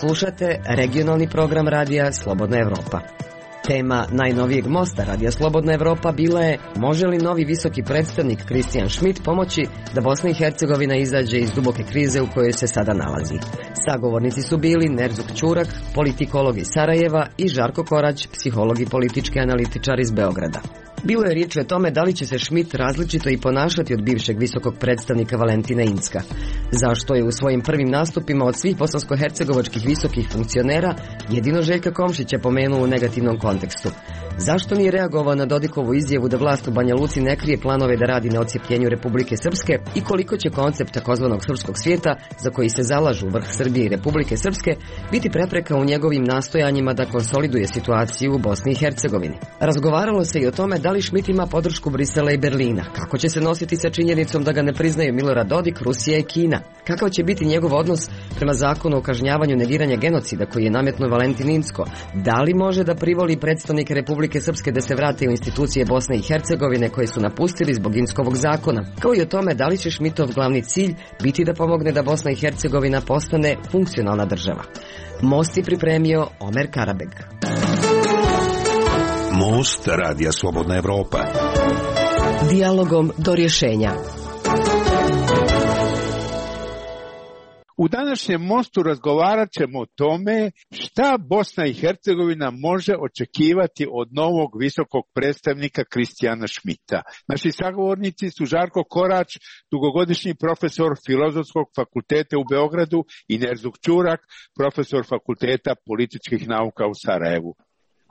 Slušate regionalni program radija Slobodna Evropa. Tema najnovijeg mosta radija Slobodna Evropa bila je: može li novi visoki predstavnik Kristijan Šmit pomoći da Bosna i Hercegovina izađe iz duboke krize u kojoj se sada nalazi? Sagovornici su bili Nerzuk Ćurak, politikolog iz Sarajeva, i Žarko Korać, psiholog i politički analitičar iz Beograda. Bilo je riječ o tome da li će se Šmit različito i ponašati od bivšeg visokog predstavnika Valentina Incka. Zašto je u svojim prvim nastupima od svih bosansko-hercegovačkih visokih funkcionera jedino Željka Komšića pomenuo u negativnom kontekstu? Zašto nije reagovao na Dodikovu izjavu da vlast u Banja Luci ne krije planove da radi na odcijepljenju Republike Srpske i koliko će koncept takozvanog srpskog svijeta, za koji se zalažu vrh Srbije i Republike Srpske, biti prepreka u njegovim nastojanjima da konsoliduje situaciju u Bosni i Hercegovini? Razgovaralo se i o tome da li Šmit ima podršku Brisela i Berlina, kako će se nositi sa činjenicom da ga ne priznaju Milorad Dodik, Rusija i Kina, kakav će biti njegov odnos prema zakonu o kažnjavanju negiranja genocida koji je nametnuo Valentin Incko, da li može da privoli predstavnike Republike Srpske da se vrate u institucije Bosne i Hercegovine koje su napustili zbog Inckovog zakona, kao i o tome da li će Šmitov glavni cilj biti da pomogne da Bosna i Hercegovina postane funkcionalna država. Most je pripremio Omer Karabeg. Most radija Slobodna Evropa. Dijalogom do rješenja. U današnjem mostu razgovarat ćemo o tome šta Bosna i Hercegovina može očekivati od novog visokog predstavnika Kristijana Šmita. Naši sagovornici su Žarko Korać, dugogodišnji profesor Filozofskog fakulteta u Beogradu, i Nerzuk Ćurak, profesor Fakulteta političkih nauka u Sarajevu.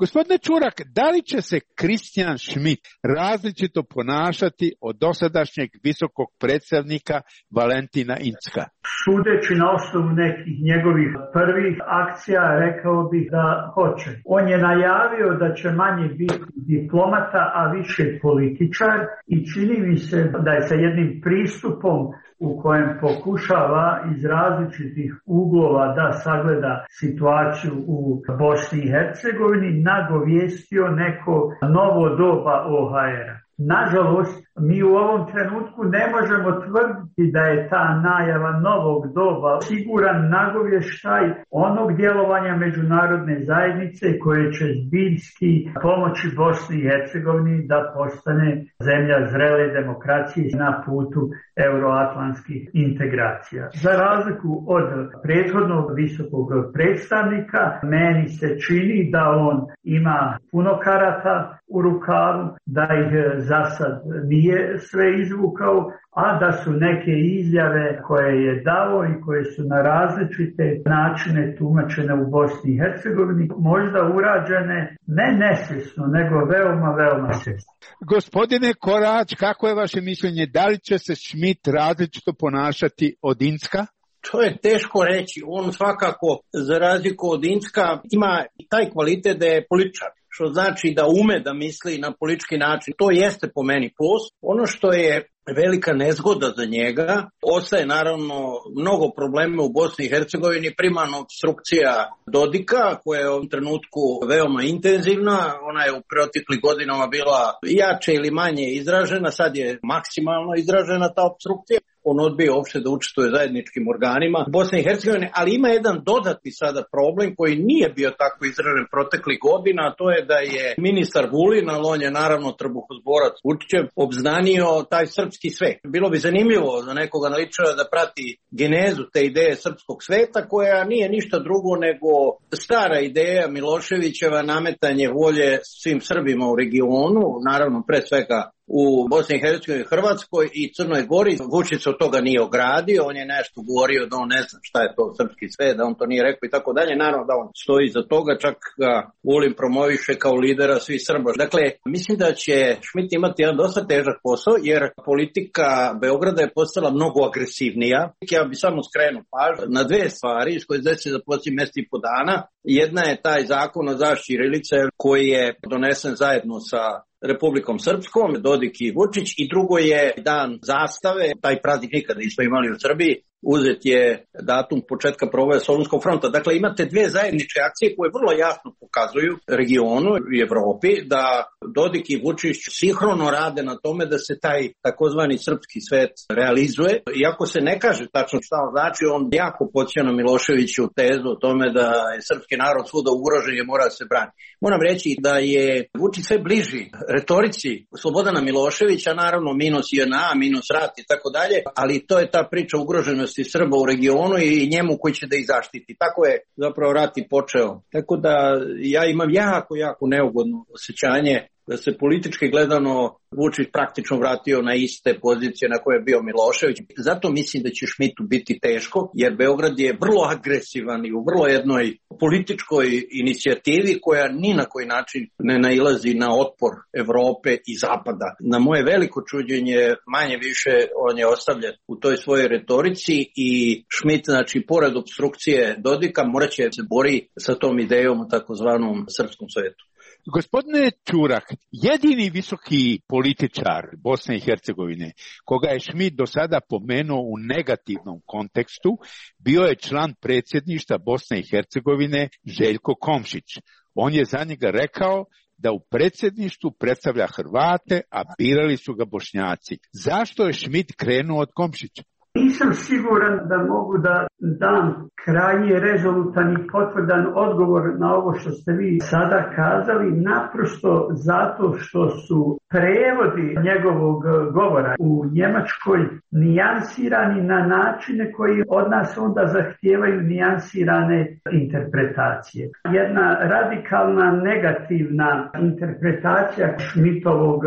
Gospodine Ćurak, da li će se Kristijan Šmit različito ponašati od dosadašnjeg visokog predstavnika Valentina Incka? Sudeći na osnovu nekih njegovih prvih akcija, rekao bih da hoće. On je najavio da će manje biti diplomata, a više političar, i čini mi se da je sa jednim pristupom u kojem pokušava iz različitih uglova da sagleda situaciju u Bosni i Hercegovini, nagovijestio neko novo doba OHR-a. Nažalost, mi u ovom trenutku ne možemo tvrditi da je ta najava novog doba siguran nagovještaj onog djelovanja međunarodne zajednice koje će zbiljski pomoći Bosni i Hercegovini da postane zemlja zrele demokracije na putu euroatlantskih integracija. Za razliku od prethodnog visokog predstavnika, meni se čini da on ima puno karata u rukavu, da ih za sad nije sve izvukao, a da su neke izjave koje je dao i koje su na različite načine tumačene u Bosni i Hercegovini možda urađene ne nesvjesno, nego veoma, veoma svjesno. Gospodine Korać, kako je vaše mišljenje? Da li će se Šmit različito ponašati od Incka? To je teško reći. On svakako, za razliku od Incka, ima taj kvalitet da je političar, što znači da ume da misli na politički način. To jeste po meni plus. Ono što je velika nezgoda za njega, ostaje naravno mnogo problema u Bosni i Hercegovini, primarno obstrukcija Dodika, koja je u ovom trenutku veoma intenzivna. Ona je u proteklih godinama bila jače ili manje izražena, sad je maksimalno izražena ta obstrukcija. On odbije uopšte da učestvuje zajedničkim organima Bosne i Hercegovine, ali ima jedan dodatni sada problem koji nije bio tako izražen proteklih godina, a to je da je ministar Vulin, ali on je naravno trbuhozborac Vučićev, obznanio taj srpski svet. Bilo bi zanimljivo za nekog analitičara da prati genezu te ideje srpskog sveta, koja nije ništa drugo nego stara ideja Miloševićeva, nametanje volje svim Srbima u regionu, naravno pre svega u Bosni i Hercegovini, Hrvatskoj i Crnoj Gori. Vučić se od toga nije ogradio, on je nešto govorio da on ne zna šta je to srpski svet, da on to nije rekao i tako dalje. Naravno da on stoji iza toga, čak ga Vulin promoviše kao lidera svih Srba. Dakle, mislim da će Šmit imati jedan dosta težak posao, jer politika Beograda je postala mnogo agresivnija. Ja bi samo skrenuo pažnju na dve stvari iz koje se za posljednjih mjesec i po dana. Jedna je taj zakon o zaštiti ćirilice koji je donesen zajedno sa Republikom Srpskom, Dodik i Vučić, i drugo je dan zastave, taj praznik nikada nismo imali u Srbiji, uzet je datum početka proboja Solunskog fronta. Dakle, imate dve zajedničke akcije koje vrlo jasno pokazuju regionu i Evropi da Dodik i Vučić sinhrono rade na tome da se taj takozvani srpski svet realizuje. Iako se ne kaže tačno šta znači, on jako podsjeća na Miloševiću tezu o tome da je srpski narod svuda ugrožen i mora da se brani. Moram reći da je Vučić sve bliži retorici Slobodana Miloševića, naravno minus JNA, minus rat i tako dalje, ali to je ta priča ugroženosti Srba u regionu i njemu koji će da ih zaštiti. Tako je zapravo rat i počeo. Tako da ja imam jako neugodno osjećanje da se politički gledano Vučić praktično vratio na iste pozicije na koje je bio Milošević. Zato mislim da će Šmitu biti teško, jer Beograd je vrlo agresivan i u vrlo jednoj političkoj inicijativi koja ni na koji način ne nailazi na otpor Evrope i Zapada. Na moje veliko čuđenje, manje više on je ostavljen u toj svojoj retorici i Šmit, znači, pored obstrukcije Dodika, morat će se bori sa tom idejom u takozvanom srpskom svetu. Gospodine Ćurak, jedini visoki političar Bosne i Hercegovine, koga je Šmit do sada pomenuo u negativnom kontekstu, bio je član predsjedništva Bosne i Hercegovine Željko Komšić. On je za njega rekao da u predsjedništvu predstavlja Hrvate, a birali su ga Bošnjaci. Zašto je Šmit krenuo od Komšića? Nisam siguran da mogu da dam krajnje rezolutan i potvrdan odgovor na ovo što ste vi sada kazali, naprosto zato što su prevodi njegovog govora u Njemačkoj nijansirani na načine koji od nas onda zahtijevaju nijansirane interpretacije. Jedna radikalna negativna interpretacija Šmitovog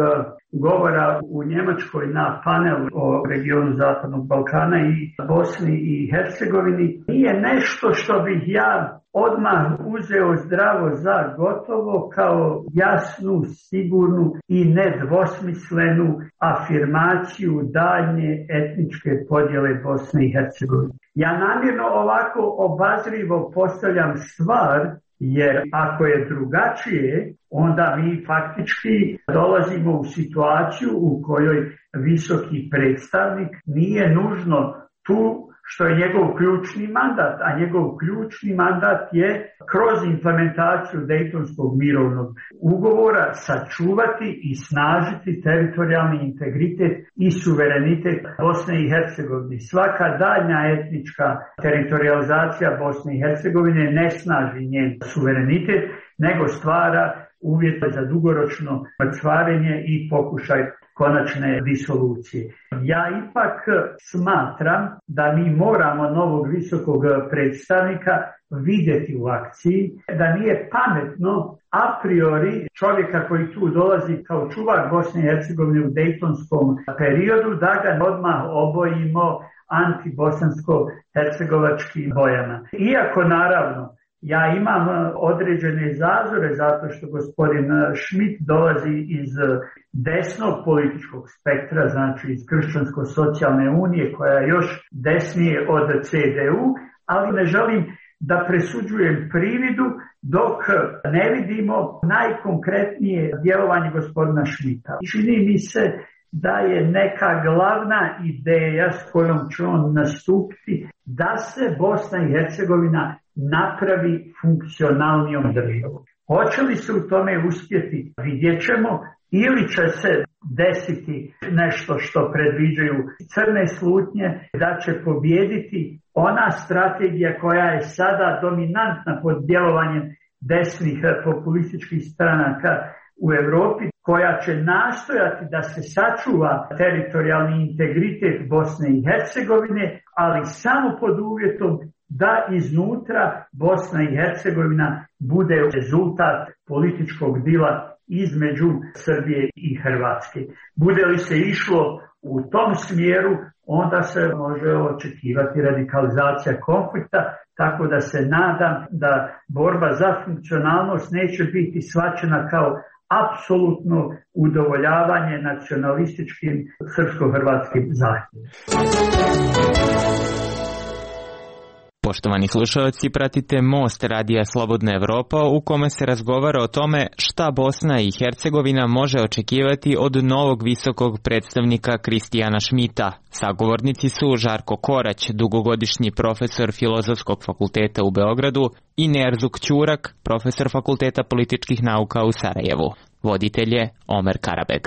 govora u Njemačkoj na panelu o regionu Zapadnog Balkana i Bosni i Hercegovini nije nešto što bih ja odmah uzeo zdravo za gotovo kao jasnu, sigurnu i nedvosmislenu afirmaciju daljnje etničke podjele Bosne i Hercegovine. Ja namjerno ovako obazrivo postavljam stvar, jer ako je drugačije, onda mi faktički dolazimo u situaciju u kojoj visoki predstavnik nije nužno tu što je njegov ključni mandat, a njegov ključni mandat je kroz implementaciju Dejtonskog mirovnog ugovora sačuvati i snažiti teritorijalni integritet i suverenitet Bosne i Hercegovine. Svaka daljnja etnička teritorializacija Bosne i Hercegovine ne snaži njen suverenitet, nego stvara uvjete za dugoročno mrcvarenje i pokušaj konačne disolucije. Ja ipak smatram da mi moramo novog visokog predstavnika vidjeti u akciji, da nije pametno a priori čovjeka koji tu dolazi kao čuvar Bosne i Hercegovine u dejtonskom periodu, da ga odmah obojimo antibosansko-hercegovačkim bojama. Iako naravno ja imam određene zazore zato što gospodin Šmit dolazi iz desnog političkog spektra, znači iz Kršćansko-socijalne unije koja je još desnije od CDU, ali ne želim da presuđujem prividu dok ne vidimo najkonkretnije djelovanje gospodina Šmita. Čini mi se da je neka glavna ideja s kojom će on nastupiti da se Bosna i Hercegovina napravi funkcionalnijom državom. Hoće li se u tome uspjeti, vidjet ćemo, ili će se desiti nešto što predviđaju crne slutnje, da će pobijediti ona strategija koja je sada dominantna pod djelovanjem desnih populističkih stranaka u Europi, koja će nastojati da se sačuva teritorijalni integritet Bosne i Hercegovine, ali samo pod uvjetom da iznutra Bosna i Hercegovina bude rezultat političkog dila između Srbije i Hrvatske. Bude li se išlo u tom smjeru, onda se može očekivati radikalizacija konflikta, tako da se nadam da borba za funkcionalnost neće biti shvaćena kao apsolutno udovoljavanje nacionalističkim srpsko-hrvatskim zahtjevima. Poštovani slušalci, pratite Most radija Slobodna Evropa u kome se razgovara o tome šta Bosna i Hercegovina može očekivati od novog visokog predstavnika Kristijana Šmita. Sagovornici su Žarko Korać, dugogodišnji profesor Filozofskog fakulteta u Beogradu, i Nerzuk Ćurak, profesor Fakulteta političkih nauka u Sarajevu. Voditelj je Omer Karabeg.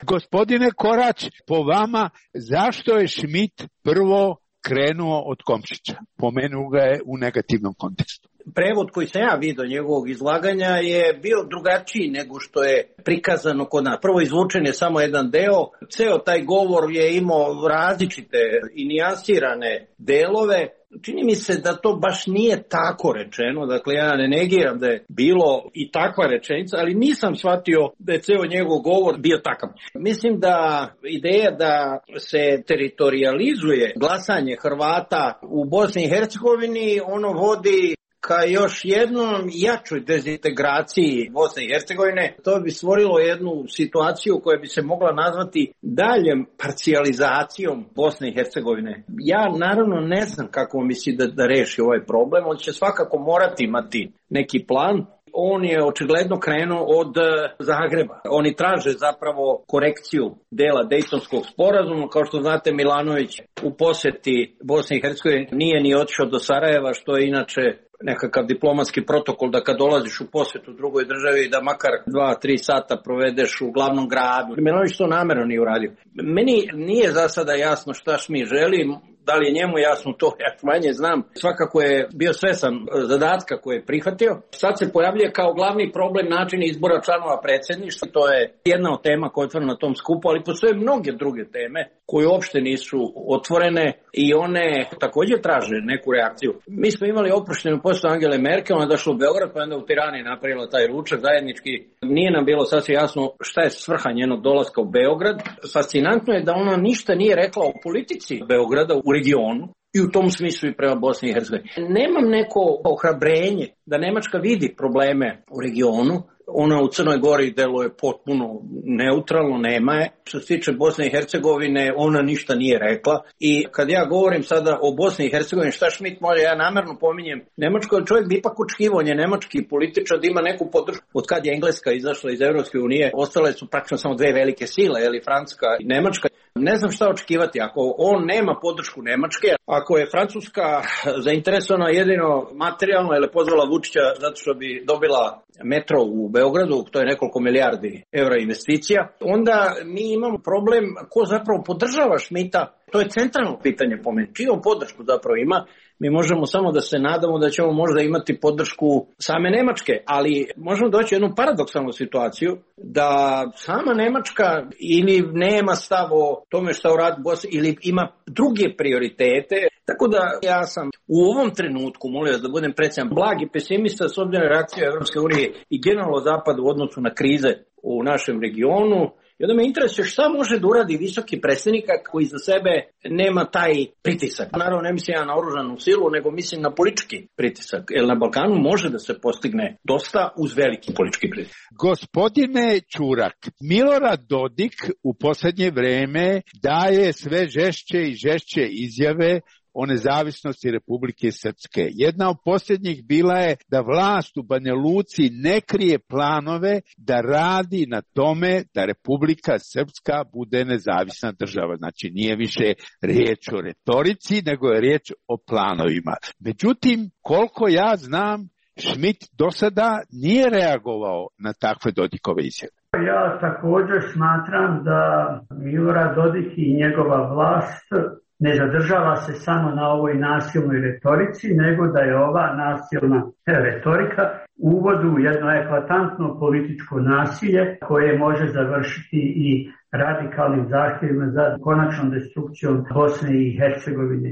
Gospodine Korać, po vama, zašto je Šmit prvo krenuo od Komšića? Pomenuo ga je u negativnom kontekstu. Prevod koji sam ja vidio njegovog izlaganja je bio drugačiji nego što je prikazano kod nas. Prvo izvučen je samo jedan deo, ceo taj govor je imao različite i nijansirane delove. Čini mi se da to baš nije tako rečeno, dakle ja ne negiram da je bilo i takva rečenica, ali nisam shvatio da je ceo njegov govor bio takav. Mislim da ideja da se teritorializuje glasanje Hrvata u Bosni i Hercegovini, ono vodi ka još jednom jačoj dezintegraciji Bosne i Hercegovine. To bi stvorilo jednu situaciju koja bi se mogla nazvati daljem parcijalizacijom Bosne i Hercegovine. Ja naravno ne znam kako misli da reši ovaj problem. On će svakako morati imati neki plan. On je očigledno krenuo od Zagreba. Oni traže zapravo korekciju dela Dejtonskog sporazuma. Kao što znate, Milanović u poseti Bosne i Hercegovine nije ni otišao do Sarajeva, što je inače nekakav diplomatski protokol da kad dolaziš u posjetu drugoj državi da makar 2-3 sata provedeš u glavnom gradu. Milanović to namjerno nije uradio. Meni nije za sada jasno šta Šmit želi. Da li je njemu jasno, to ja manje znam. Svakako je bio svestan zadatka koje je prihvatio. Sad se pojavljuje kao glavni problem način izbora članova predsjedništva. To je jedna od tema koja je otvorena na tom skupu, ali postoje mnoge druge teme koje uopšte nisu otvorene i one također traže neku reakciju. Mi smo imali oproštenu posjetu Angele Merkel, ona je došla u Beograd, pa onda u Tirani napravila taj ručak zajednički. Nije nam bilo sasvim jasno šta je svrha njenog dolaska u Beograd. Fascinantno je da ona ništa nije rekla o politici Beograda u regionu i u tom smislu i prema Bosni i Hercegovini. Nemam neko ohrabrenje da Nemačka vidi probleme u regionu. Ona u Crnoj Gori deluje potpuno neutralno, nema je. Što se tiče Bosne i Hercegovine, ona ništa nije rekla. I kad ja govorim sada o Bosni i Hercegovini, šta Šmit može, ja namjerno pominjem Nemačko, jer čovjek bi ipak očekivao, on je nemački političar da ima neku podršku. Od kad je Engleska izašla iz Europske unije, ostale su praktično samo dve velike sile, Francuska i Nemačka. Ne znam šta očekivati, ako on nema podršku Nemačke, ako je Francuska zainteresovana jedino materijalno, ili pozvala Vučića zato što bi dobila metro u Beogradu, to je nekoliko milijardi evra investicija, onda mi imamo problem ko zapravo podržava Šmita. To je centralno pitanje po meni. Čiju podršku zapravo ima? Mi možemo samo da se nadamo da ćemo možda imati podršku same Nemačke, ali možemo doći u jednu paradoksalnu situaciju da sama Nemačka ili nema stav o tome šta uradi Bosna ili ima druge prioritete. Tako da ja sam u ovom trenutku, molim vas da budem precijan, blagi pesimista s obzirom na reakciju Evropske unije i generalno Zapada u odnosu na krize u našem regionu. I onda me interesuje šta može da uradi visoki predstavnik koji za sebe nema taj pritisak. Naravno ne mislim ja na oružanu silu, nego mislim na politički pritisak. Jer na Balkanu može da se postigne dosta uz veliki politički pritisak. Gospodine Ćurak, Milorad Dodik u posljednje vreme daje sve žešće i žešće izjave o nezavisnosti Republike Srpske. Jedna od posljednjih bila je da vlast u Banja Luci ne krije planove da radi na tome da Republika Srpska bude nezavisna država. Znači nije više riječ o retorici, nego je riječ o planovima. Međutim, koliko ja znam, Šmit do sada nije reagovao na takve Dodikove izjave. Ja također smatram da Milorad Dodik i njegova vlast ne zadržava se samo na ovoj nasilnoj retorici, nego da je ova nasilna retorika uvod u jedno eklatantno političko nasilje koje može završiti i radikalnim zahtjevima za konačnom destrukcijom Bosne i Hercegovine.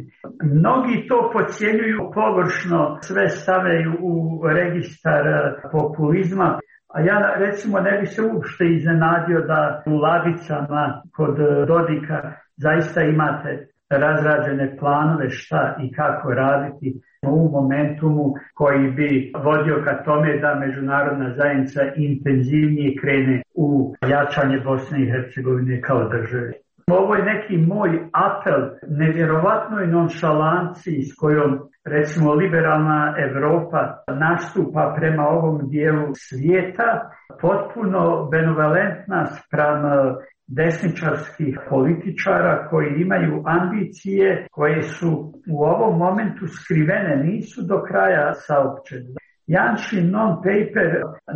Mnogi to podcjenjuju površno, sve stavljaju u registar populizma. A ja recimo ne bi se uopšte iznenadio da u ladicama kod Dodika zaista imate razrađene planove šta i kako raditi u momentumu koji bi vodio ka tome da međunarodna zajednica intenzivnije krene u jačanje Bosne i Hercegovine kao države. Ovo je neki moj apel nevjerovatnoj nonšalanciji s kojom recimo liberalna Evropa nastupa prema ovom dijelu svijeta, potpuno benevolentna spram desničarskih političara koji imaju ambicije koje su u ovom momentu skrivene, nisu do kraja saopćene. Janšin non-paper,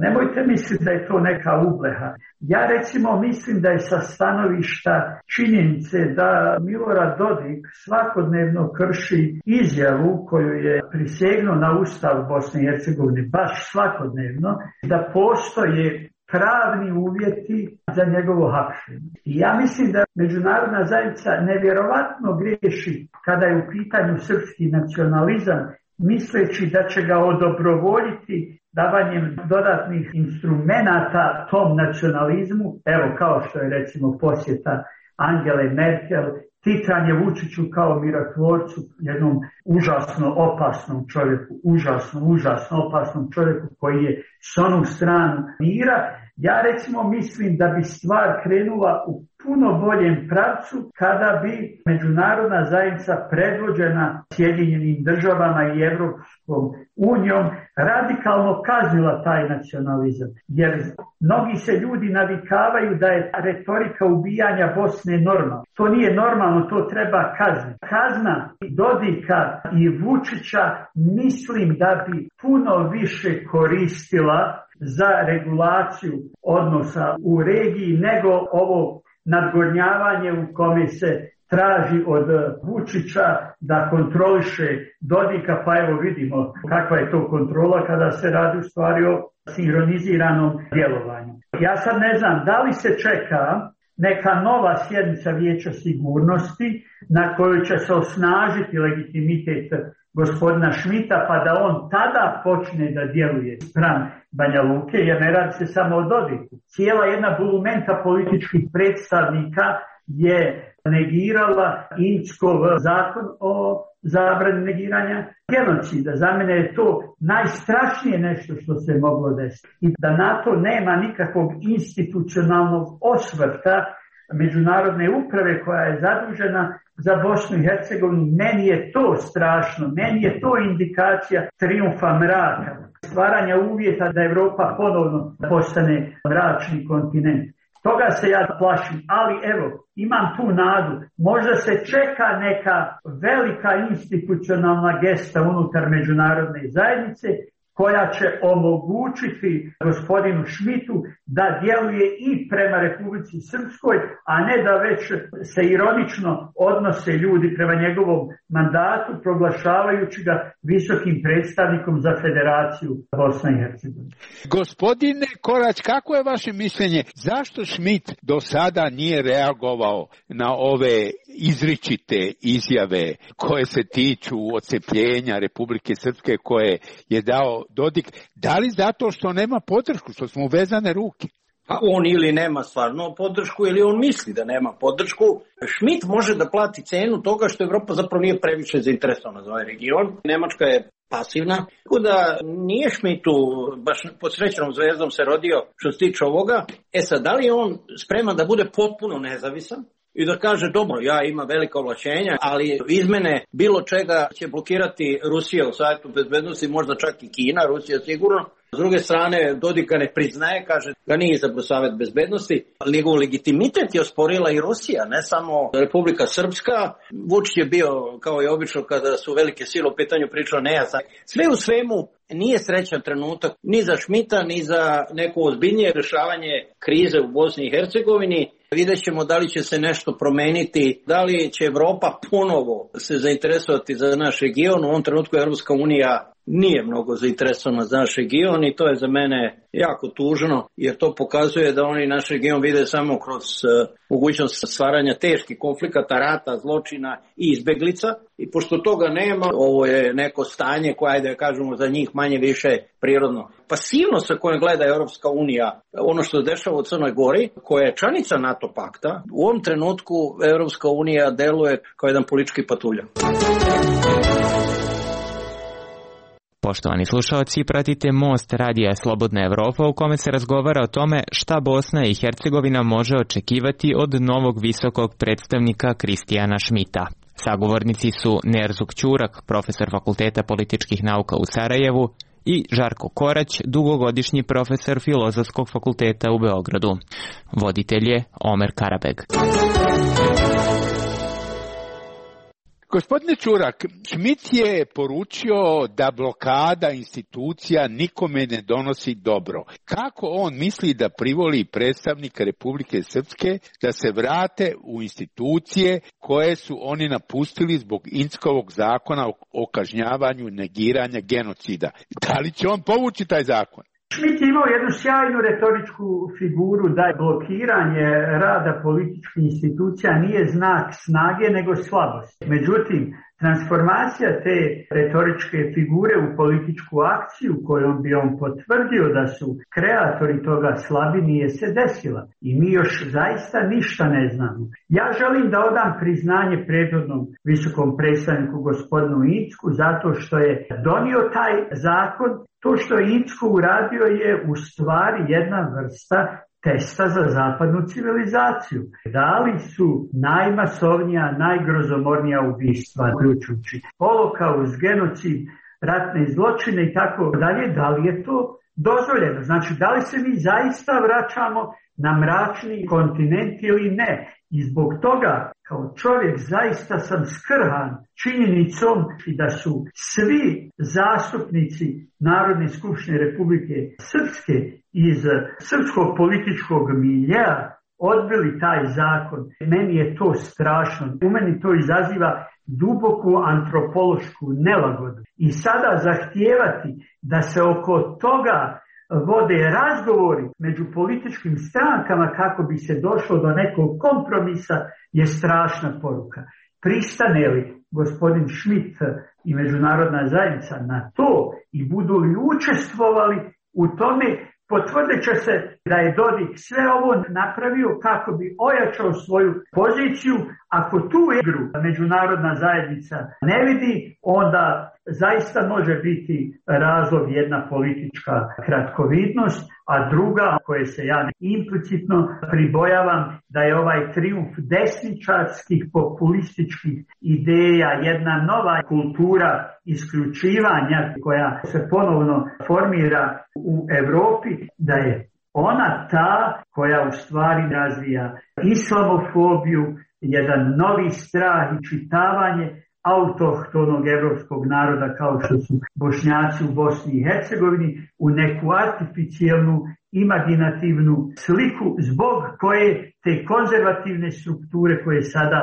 nemojte misliti da je to neka ubleha. Ja recimo mislim da je sa stanovišta činjenice da Milorad Dodik svakodnevno krši izjavu koju je prisegnuo na Ustav Bosne i Hercegovine, baš svakodnevno, da postoje pravni uvjeti za njegovo hapšenje. I ja mislim da međunarodna zajednica nevjerovatno griješi kada je u pitanju srpski nacionalizam, misleći da će ga odobrovoljiti davanjem dodatnih instrumenata tom nacionalizmu, evo kao što je recimo posjeta Angele Merkel, titanje Vučiću kao mirotvorcu, jednom užasno opasnom čovjeku, užasno opasnom čovjeku koji je s onu stranu mira. Ja recimo mislim da bi stvar krenula u puno boljem pravcu kada bi međunarodna zajednica predvođena Sjedinjenim državama i Evropskom unijom radikalno kaznila taj nacionalizam. Jer mnogi se ljudi navikavaju da je retorika ubijanja Bosne normalna. To nije normalno, to treba kazniti. Kazna Dodika i Vučića mislim da bi puno više koristila za regulaciju odnosa u regiji nego ovo nadgornjavanje u kome se traži od Vučića da kontroliše Dodika, pa evo vidimo kakva je to kontrola kada se radi u stvari o sinhroniziranom djelovanju. Ja sad ne znam da li se čeka neka nova sjednica Vijeća sigurnosti na kojoj će se osnažiti legitimitet gospodina Šmita, pa da on tada počne da djeluje spram Banja Luke, jer ne radi se samo o Dodiku. Cijela jedna bulumenta političkih predstavnika je negirala Inckov zakon o zabrani negiranja genocida. Za mene je to najstrašnije nešto što se moglo desiti. I da na to nema nikakvog institucionalnog osvrta međunarodne uprave koja je zadužena za Bosnu i Hercegovinu, meni je to strašno, meni je to indikacija trijumfa mraka, stvaranja uvjeta da Evropa ponovno postane mračni kontinent. Toga se ja plašim, ali evo, imam tu nadu. Možda se čeka neka velika institucionalna gesta unutar međunarodne zajednice koja će omogućiti gospodinu Šmitu da djeluje i prema Republici Srpskoj, a ne da već se ironično odnose ljudi prema njegovom mandatu, proglašavajući ga visokim predstavnikom za Federaciju Bosne i Hercegovine. Gospodine Korać, kako je vaše mišljenje? Zašto Šmit do sada nije reagovao na ove izričite izjave koje se tiču odcepljenja Republike Srpske koje je dao Dodik? Da li zato što nema podršku, što smo vezane ruke? A on ili nema stvarno podršku ili on misli da nema podršku. Šmit može da plati cenu toga što Evropa zapravo nije previše zainteresovana za ovaj region. Nemačka je pasivna. Tako da nije Šmitu baš pod srećnom zvezdom se rodio što se tiče ovoga. Sad, da li je on spreman da bude potpuno nezavisan i da kaže, dobro, ja imam velika ovlašćenja, ali izmene bilo čega će blokirati Rusija u Savjetu bezbednosti, možda čak i Kina, Rusija sigurno. S druge strane, Dodika ne priznaje, kaže da nije izabrao Savjet bezbednosti, ali njegov legitimitet je osporila i Rusija, ne samo Republika Srpska. Vučić je bio, kao i obično, kada su velike sile u pitanju pričao nejasno. Sve u svemu nije srećan trenutak ni za Šmita, ni za neko ozbiljnije rješavanje krize u Bosni i Hercegovini. Vidjet ćemo da li će se nešto promeniti, da li će Evropa ponovo se zainteresovati za naš region. U ovom trenutku Evropska unija nije mnogo zainteresovana za naš region i to je za mene jako tužno, jer to pokazuje da oni naš region vide samo kroz mogućnost stvaranja teških konflikata, rata, zločina i izbeglica. I pošto toga nema, ovo je neko stanje koje, da kažemo, za njih manje više prirodno. Pasivnost sa kojom gleda Europska unija, ono što se dešava u Crnoj Gori, koja je članica NATO pakta, u ovom trenutku Europska unija deluje kao jedan politički patuljak. Poštovani slušalci, pratite Most radija Slobodna Evropa u kome se razgovara o tome šta Bosna i Hercegovina može očekivati od novog visokog predstavnika Kristijana Šmita. Sagovornici su Nerzuk Ćurak, profesor Fakulteta političkih nauka u Sarajevu, i Žarko Korać, dugogodišnji profesor Filozofskog fakulteta u Beogradu. Voditelj je Omer Karabeg. Gospodine Ćurak, Šmit je poručio da blokada institucija nikome ne donosi dobro. Kako on misli da privoli predstavnika Republike Srpske da se vrate u institucije koje su oni napustili zbog Inckovog zakona o kažnjavanju negiranja genocida? Da li će on povući taj zakon? Šmit je imao jednu sjajnu retoričku figuru da je blokiranje rada političkih institucija nije znak snage nego slabosti. Međutim, transformacija te retoričke figure u političku akciju kojom bi on potvrdio da su kreatori toga slabi nije se desila. I mi još zaista ništa ne znamo. Ja želim da odam priznanje prethodnom visokom predstavniku gospodinu Incku zato što je donio taj zakon. To što je Incko uradio je u stvari jedna vrsta testa za zapadnu civilizaciju. Da li su najmasovnija, najgrozomornija ubistva, uključujući holokaust, genocid, ratne zločine i tako dalje, da li je to dozvoljeno? Znači, da li se mi zaista vraćamo na mračni kontinent ili ne? I zbog toga, kao čovjek, zaista sam skrhan činjenicom da su svi zastupnici Narodne skupštine Republike Srpske iz srpskog političkog miljea odbili taj zakon. Meni je to strašno. U meni to izaziva duboku antropološku nelagodu. I sada zahtijevati da se oko toga vode razgovori među političkim strankama kako bi se došlo do nekog kompromisa je strašna poruka. Pristane li gospodin Šmit i međunarodna zajednica na to i budu li učestvovali u tome, potvrdit će se da je Dodik sve ovo napravio kako bi ojačao svoju poziciju. Ako tu igru međunarodna zajednica ne vidi, onda zaista može biti razlog jedna politička kratkovidnost, a druga, koje se ja implicitno pribojavam, da je ovaj trijumf desničarskih populističkih ideja, jedna nova kultura isključivanja koja se ponovno formira u Europi, da je ona ta koja u stvari razvija islamofobiju, jedan novi strah i čitavanje autohtonog evropskog naroda kao što su Bošnjaci u Bosni i Hercegovini u neku artificijelnu, imaginativnu sliku zbog koje te konzervativne strukture koje sada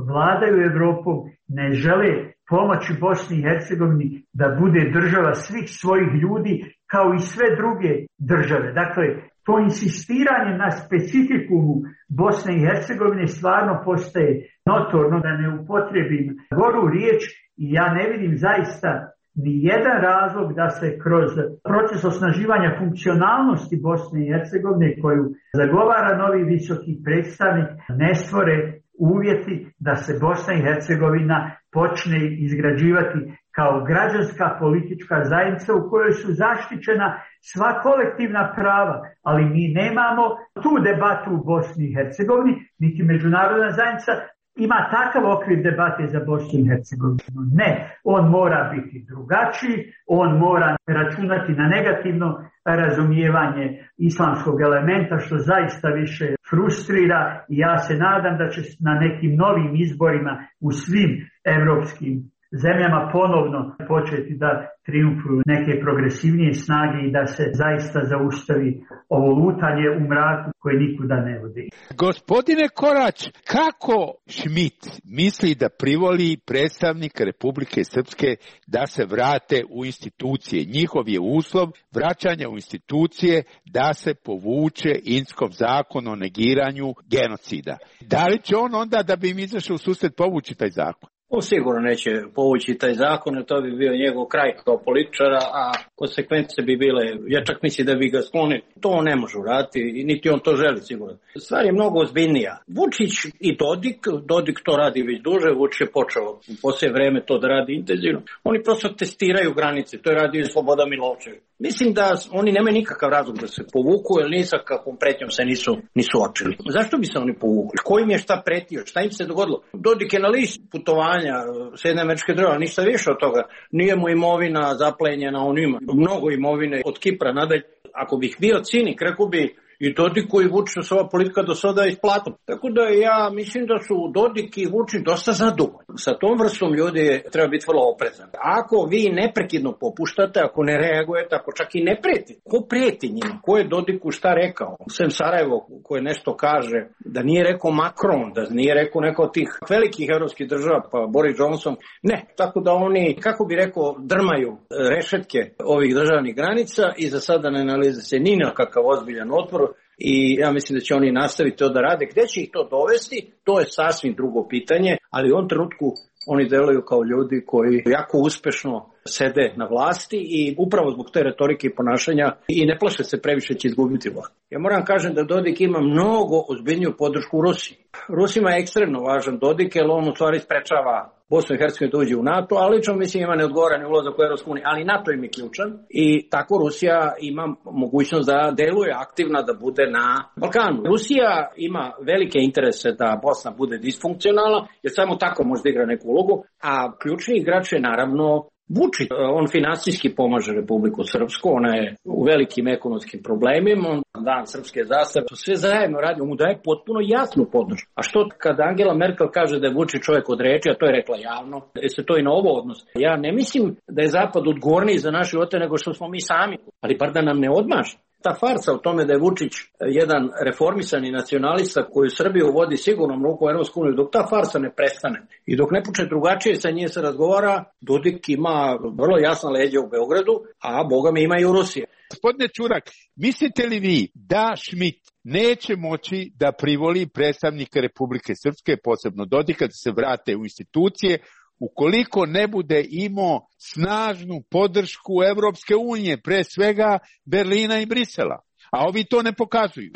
vladaju Evropom ne žele pomoći Bosni i Hercegovini da bude država svih svojih ljudi kao i sve druge države. Dakle, to insistiranje na specifikumu Bosne i Hercegovine stvarno postaje notorno, da ne upotrijebim goru riječ, i ja ne vidim zaista ni jedan razlog da se kroz proces osnaživanja funkcionalnosti Bosne i Hercegovine koju zagovara novi visoki predstavnik ne stvore uvjeti da se Bosna i Hercegovina počne izgrađivati kao građanska politička zajednica u kojoj su zaštićena sva kolektivna prava, ali mi nemamo tu debatu u Bosni i Hercegovini, niti međunarodna zajednica ima takav okvir debate za Bosnu i Hercegovinu. Ne, on mora biti drugačiji, on mora računati na negativno razumijevanje islamskog elementa, što zaista više frustrira, i ja se nadam da će na nekim novim izborima u svim evropskim zemljama ponovno početi da triumfuju neke progresivnije snage i da se zaista zaustavi ovo lutanje u mraku koje nikuda ne vodi. Gospodine Korać, kako Šmit misli da privoli predstavnika Republike Srpske da se vrate u institucije? Njihov je uslov vraćanja u institucije da se povuče Inckov zakon o negiranju genocida. Da li će on onda, da bi im izašao u susret, povući taj zakon? On sigurno neće povući taj zakon, jer to bi bio njegov kraj kao političara, a konsekvence bi bile, ja čak mislim da bi ga sklonili. To on ne može uraditi i niti on to želi sigurno. Stvar je mnogo ozbiljnija. Vučić i Dodik to radi već duže, Vučić je počeo u posljednje vreme to da radi intenzivno. Oni prosto testiraju granice, to je radio i Slobodan Milošević. Mislim da oni nemaju nikakav razlog da se povuku, jer ni sa kakvom pretnjom se nisu očili. Zašto bi se oni povukli? Ko im je šta pretio? Šta im se dogodilo? Dodik je na listi putovanja Sjedinjenih Američkih Država, ništa više od toga. Nije mu imovina zaplenjena, on ima mnogo imovine od Kipra nadalje. Ako bih bio cinik, rekao bi i Dodiku i Vučiću se ova politika do sada isplatila. Tako da ja mislim da su Dodik i Vučić dosta zadovoljni. Sa tom vrstom ljudi treba biti vrlo oprezan. Ako vi neprekidno popuštate, ako ne reagujete, ako čak i ne pretite, ko preti njima? Ko je Dodiku šta rekao? Sem Sarajevo koje nešto kaže, da nije rekao Macron, da nije rekao neko od tih velikih evropskih država, pa Boris Johnson. Ne, tako da oni, kako bi rekao, drmaju rešetke ovih državnih granica i za sada ne nalaze se ni na kakav ozbiljan otpor. I ja mislim da će oni nastaviti to da rade. Gde će ih to dovesti, to je sasvim drugo pitanje, ali u ovom trenutku oni deluju kao ljudi koji jako uspešno sede na vlasti i upravo zbog te retorike i ponašanja i ne plaše se previše će izgubiti vlast. Ja moram kažem da Dodik ima mnogo ozbiljniju podršku u Rusiji. Rusima je ekstremno važan Dodik, jer on u stvari sprečava Bosnu i Hercegovinu da uđe u NATO, ali lično mislim ima neodgovoran ulazak u Evropsku uniju, ali NATO im je ključan i tako Rusija ima mogućnost da deluje aktivna, da bude na Balkanu. Rusija ima velike interese da Bosna bude disfunkcionalna, jer samo tako može da igra neku ulogu, a ključni igrač je naravno Vučić. On finansijski pomaže Republiku Srpsku, ona je u velikim ekonomskim problemima, on dan srpske zastave, to sve zajedno radi, on mu daje potpuno jasnu podršku. A što kada Angela Merkel kaže da je Vučić čovjek od reči, a to je rekla javno, se to i na ovo odnosi. Ja ne mislim da je Zapad odgovorniji za naše živote nego što smo mi sami, ali bar da nam ne odmaže. Ta farsa o tome da je Vučić jedan reformisani nacionalista koji Srbiju vodi sigurnom ruku u Evropsku uniju, dok ta farsa ne prestane i dok ne počne drugačije sa njim se razgovara, Dodik ima vrlo jasna leđa u Beogradu, a boga mi ima i u Rusiji. Gospodine Čurak, mislite li vi da Schmidt neće moći da privoli predstavnika Republike Srpske, posebno Dodika, da se vrate u institucije, ukoliko ne bude imao snažnu podršku Evropske unije, pre svega Berlina i Brisela, a ovi to ne pokazuju?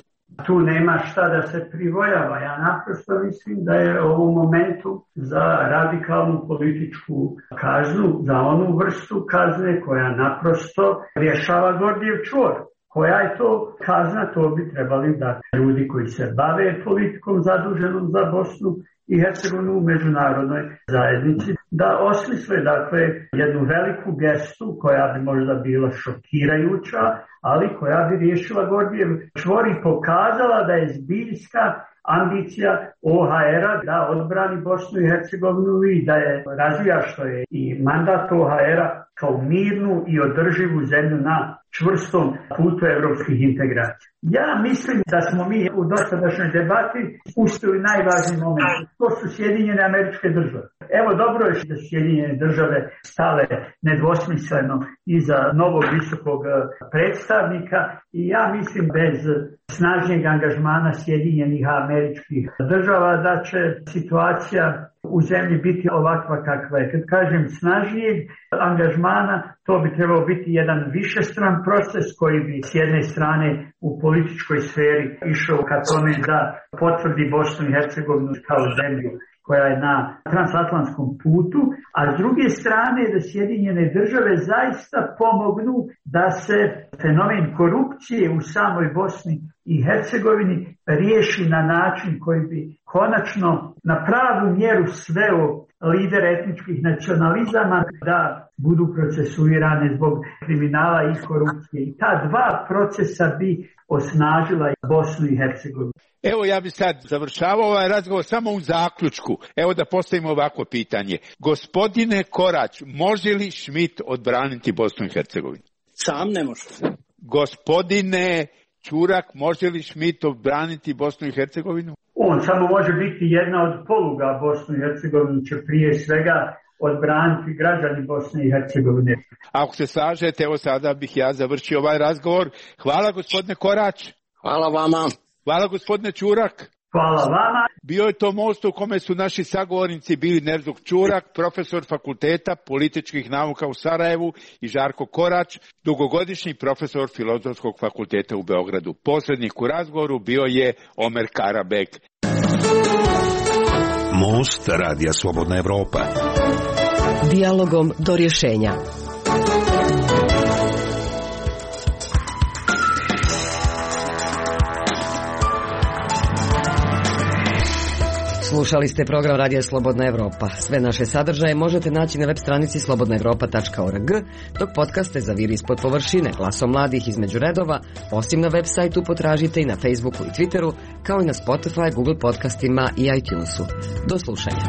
Tu nema šta da se privoljava. Ja naprosto mislim da je u momentu za radikalnu političku kaznu, za onu vrstu kazne koja naprosto rješava Gordijev čvor. Koja je to kazna, to bi trebali da ljudi koji se bave politikom zaduženom za Bosnu i Hercegovinu u međunarodnoj zajednici, da osmisle dakle jednu veliku gestu koja bi možda bila šokirajuća, ali koja bi riješila Gordijev čvor i pokazala da je zbiljska ambicija OHR-a da odbrani Bosnu i Hercegovinu i da je razvija, što je i mandat OHR-a, kao mirnu i održivu zemlju na čvrstom putu evropskih integracija. Ja mislim da smo mi u dosadašnjoj debati spustili najvažniji moment. To su Sjedinjene Američke Države. Evo, dobro je što su Sjedinjene Države stale nedvosmisleno iza novog visokog predstavnika i ja mislim bez snažnijeg angažmana Sjedinjenih Američkih Država da će situacija u zemlji biti ovakva kakva je. Kad kažem snažnijeg angažmana, to bi trebao biti jedan višestran proces koji bi s jedne strane u političkoj sferi išao ka tome da potvrdi Bosnu i Hercegovinu kao zemlju koja je na transatlantskom putu, a s druge strane da Sjedinjene Države zaista pomognu da se fenomen korupcije u samoj Bosni i Hercegovini riješi na način koji bi konačno na pravu mjeru sveo lidere etničkih nacionalizama da budu procesuirane zbog kriminala i korupcije. I ta dva procesa bi osnažila Bosnu i Hercegovinu. Evo, ja bi sad završavao ovaj razgovor samo u zaključku. Evo da postavimo ovako pitanje. Gospodine Korać, može li Schmidt odbraniti Bosnu i Hercegovinu? Sam ne može. Gospodine Čurak, može li Schmidt odbraniti Bosnu i Hercegovinu? On samo može biti jedna od poluga. Bosnu i Hercegovinu će prije svega odbraniti građani Bosne i Hercegovine. Ako se slažete, evo sada bih ja završio ovaj razgovor. Hvala gospodine Korać. Hvala vama. Hvala gospodine Čurak. Hvala vama. Bio je to most u kome su naši sagovornici bili Nerzuk Čurak, profesor fakulteta političkih nauka u Sarajevu, i Žarko Korać, dugogodišnji profesor Filozofskog fakulteta u Beogradu. Posrednik u razgovoru bio je Omer Karabek. Most Radija Slobodna Evropa. Dijalogom do rješenja. Slušali ste program Radija Slobodna Evropa. Sve naše sadržaje možete naći na web stranici slobodnaevropa.org, dok podcaste zaviri ispod površine, glasom mladih između redova, osim na web sajtu potražite i na Facebooku i Twitteru, kao i na Spotify, Google podcastima i iTunesu. Do slušanja.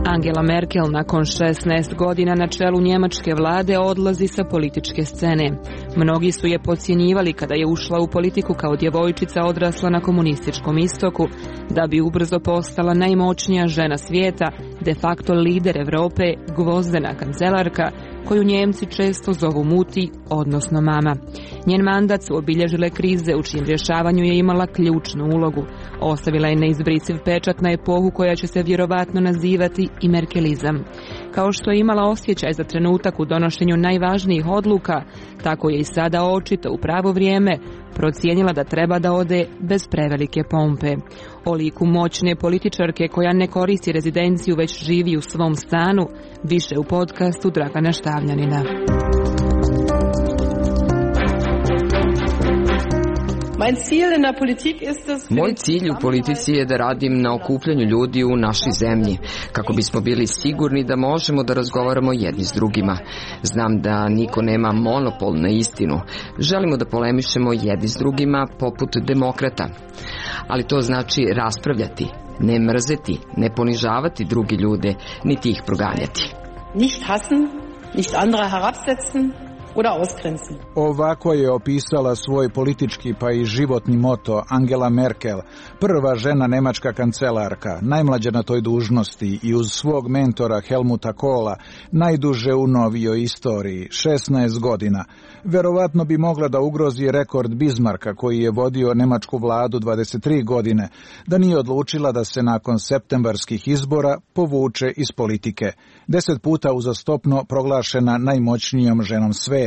Angela Merkel nakon 16 godina na čelu njemačke vlade odlazi sa političke scene. Mnogi su je podcjenjivali kada je ušla u politiku kao djevojčica odrasla na komunističkom istoku, da bi ubrzo postala najmoćnija žena svijeta, de facto lider Europe, gvozdena kancelarka, koju Njemci često zovu muti, odnosno mama. Njen mandat su obilježile krize u čijem rješavanju je imala ključnu ulogu. Ostavila je neizbrisiv pečat na epohu koja će se vjerovatno nazivati i merkelizam. Kao što je imala osjećaj za trenutak u donošenju najvažnijih odluka, tako je i sada očito u pravo vrijeme procijenila da treba da ode bez prevelike pompe. O liku moćne političarke koja ne koristi rezidenciju već živi u svom stanu, više u podcastu Dragana Štavljanina. Moj cilj u politici je da radim na okupljanju ljudi u našoj zemlji, kako bismo bili sigurni da možemo da razgovaramo jedni s drugima. Znam da niko nema monopol na istinu. Želimo da polemišemo jedni s drugima poput demokrata. Ali to znači raspravljati, ne mrzeti, ne ponižavati drugi ljude, niti ih proganjati. Nicht hassen, nicht andere herabsetzen oder ausgrenzen. Ovako je opisala svoj politički pa i životni moto Angela Merkel, prva žena nemačka kancelarka, najmlađa na toj dužnosti i uz svog mentora Helmuta Kohla, najduže u novijoj istoriji, 16 godina. Verovatno bi mogla da ugrozi rekord Bismarcka koji je vodio nemačku vladu 23 godine, da nije odlučila da se nakon septembarskih izbora povuče iz politike. 10 puta uzastopno proglašena najmoćnijom ženom sveta.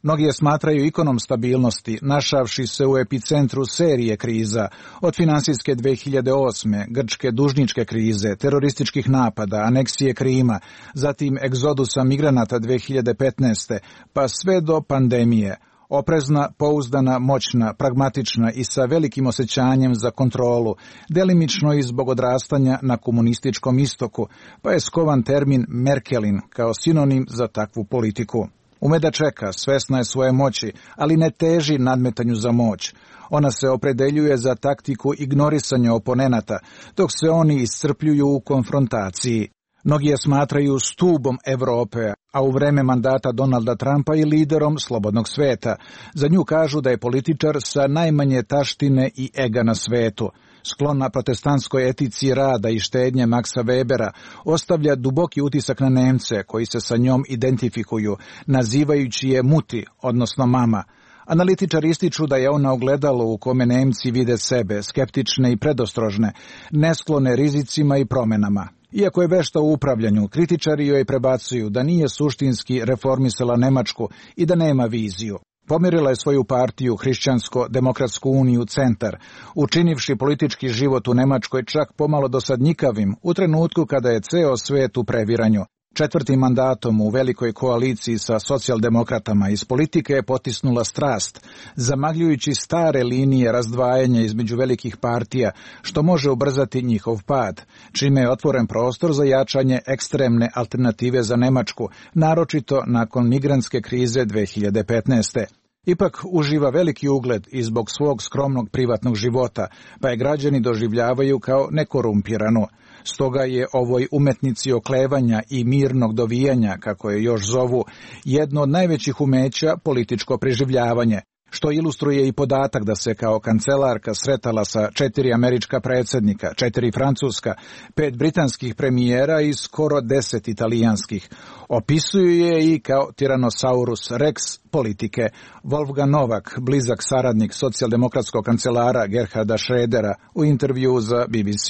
Mnogi je smatraju ikonom stabilnosti, našavši se u epicentru serije kriza, od finansijske 2008. grčke dužničke krize, terorističkih napada, aneksije Krima, zatim egzodusa migranata 2015. pa sve do pandemije. Oprezna, pouzdana, moćna, pragmatična i sa velikim osjećanjem za kontrolu, delimično i zbog odrastanja na komunističkom istoku, pa je skovan termin Merkelin kao sinonim za takvu politiku. Ume da čeka, svesna je svoje moći, ali ne teži nadmetanju za moć. Ona se opredeljuje za taktiku ignorisanja oponenata, dok se oni iscrpljuju u konfrontaciji. Mnogi je smatraju stubom Evrope, a u vreme mandata Donalda Trumpa i liderom slobodnog sveta. Za nju kažu da je političar sa najmanje taštine i ega na svetu. Sklona protestantskoj etici rada i štednje Maxa Webera, ostavlja duboki utisak na Nemce koji se sa njom identifikuju, nazivajući je muti, odnosno mama. Analitičari ističu da je ona ogledalo u kome Nemci vide sebe, skeptične i predostrožne, nesklone rizicima i promenama. Iako je vešta u upravljanju, kritičari joj prebacuju da nije suštinski reformisala Nemačku i da nema viziju. Pomirila je svoju partiju Hrišćansko-demokratsku uniju Centar, učinivši politički život u Nemačkoj čak pomalo dosadnjikavim u trenutku kada je ceo svet u previranju. 4. mandatom u velikoj koaliciji sa socijaldemokratama iz politike je potisnula strast, zamagljujući stare linije razdvajanja između velikih partija, što može ubrzati njihov pad, čime je otvoren prostor za jačanje ekstremne alternative za Nemačku, naročito nakon migrantske krize 2015. Ipak uživa veliki ugled i zbog svog skromnog privatnog života, pa je građani doživljavaju kao nekorumpiranu. Stoga je ovoj umetnici oklevanja i mirnog dovijanja, kako je još zovu, jedno od najvećih umeća političko preživljavanje. što ilustruje i podatak da se kao kancelarka sretala sa 4 američka predsjednika, 4 francuska, 5 britanskih premijera i skoro 10 italijanskih. Opisuju je i kao Tyrannosaurus Rex politike. Wolfgang Novak, blizak saradnik socijaldemokratskog kancelara Gerharda Schrödera, u intervju za BBC.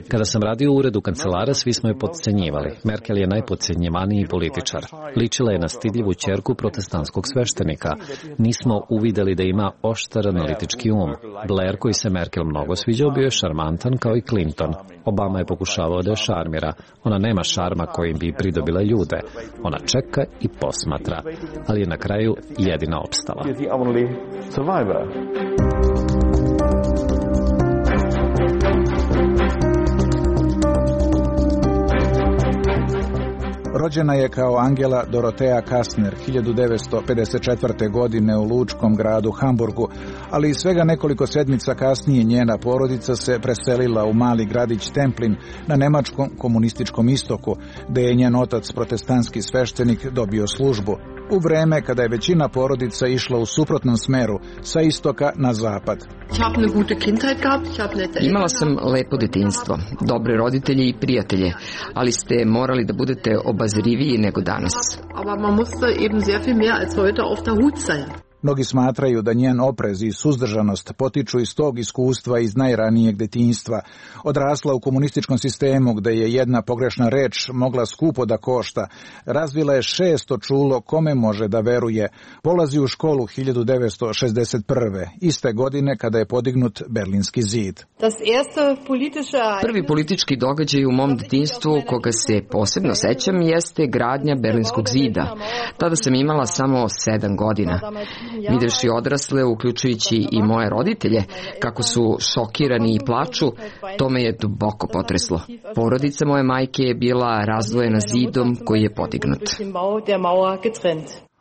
Kada sam radio u uredu kancelara, svi smo je podcenjivali. Merkel je najpodcenjivaniji političar. Ličila je na stidljivu ćerku protestantskog sveštenika. Nismo uvideli da ima oštar analitički um. Blair, koji se Merkel mnogo sviđao, bio je šarmantan kao i Clinton. Obama je pokušavao da je šarmira. Ona nema šarma kojim bi pridobila ljude. Ona čeka i posmatra, ali je na kraju jedina opstala. Rođena je kao Angela Dorothea Kastner 1954. godine u lučkom gradu Hamburgu, ali svega nekoliko sedmica kasnije njena porodica se preselila u mali gradić Templin na nemačkom komunističkom istoku, gde je njen otac, protestantski sveštenik, dobio službu. U vreme kada je većina porodica išla u suprotnom smeru, sa istoka na zapad. Imala sam lepo detinjstvo, dobre roditelje i prijatelje, ali ste morali da budete obazriviji nego danas. Mnogi smatraju da njen oprez i suzdržanost potiču iz tog iskustva iz najranijeg detinjstva. Odrasla u komunističkom sistemu gde je jedna pogrešna reč mogla skupo da košta. Razvila je 600 čulo kome može da veruje. Polazi u školu 1961. iste godine kada je podignut Berlinski zid. Prvi politički događaj u mom detinjstvu koga se posebno sećam jeste gradnja Berlinskog zida. Tada sam imala samo 7 godina. Videvši odrasle, uključujući i moje roditelje, kako su šokirani i plaču, to me je duboko potreslo. Porodica moje majke je bila razdvojena zidom koji je podignut.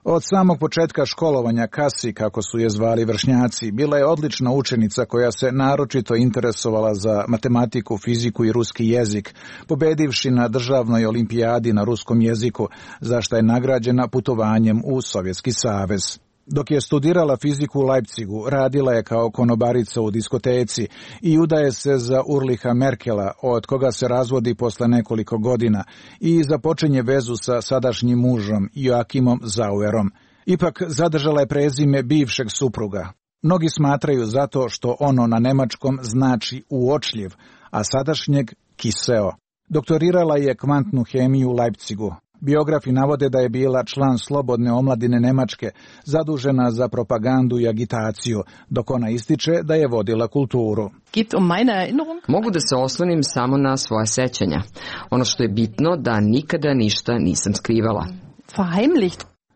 Od samog početka školovanja Kasi, kako su je zvali vršnjaci, bila je odlična učenica koja se naročito interesovala za matematiku, fiziku i ruski jezik, pobedivši na državnoj olimpijadi na ruskom jeziku, za što je nagrađena putovanjem u Sovjetski savez. Dok je studirala fiziku u Leipzigu, radila je kao konobarica u diskoteci i udaje se za Ulricha Merkela, od koga se razvodi posle nekoliko godina, i započinje vezu sa sadašnjim mužom Joachimom Zauerom. Ipak zadržala je prezime bivšeg supruga. Mnogi smatraju zato što ono na nemačkom znači uočljiv, a sadašnjeg kiseo. Doktorirala je kvantnu hemiju u Leipzigu. Biografi navode da je bila član Slobodne omladine Nemačke, zadužena za propagandu i agitaciju, dok ona ističe da je vodila kulturu. Mogu da se oslonim samo na svoje sećanja. Ono što je bitno da nikada ništa nisam skrivala.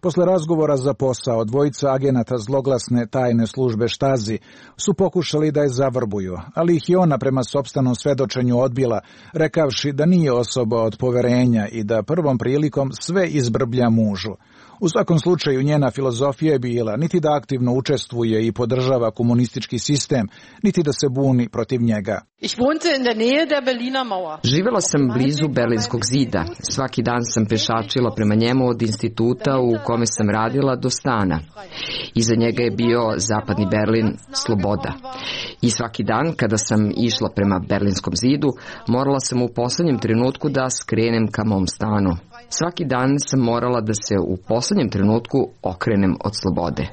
Posle razgovora za posao, dvojica agenata zloglasne tajne službe Štazi su pokušali da je zavrbuju, ali ih je ona prema sopstvenom svedočenju odbila, rekavši da nije osoba od poverenja i da prvom prilikom sve izbrblja mužu. U svakom slučaju njena filozofija je bila niti da aktivno učestvuje i podržava komunistički sistem, niti da se buni protiv njega. Živela sam blizu Berlinskog zida. Svaki dan sam pešačila prema njemu od instituta u kome sam radila do stana. Iza njega je bio zapadni Berlin, sloboda. I svaki dan kada sam išla prema Berlinskom zidu, morala sam u poslednjem trenutku da skrenem ka mom stanu. Svaki dan sam morala da se u poslednjem trenutku okrenem od slobode.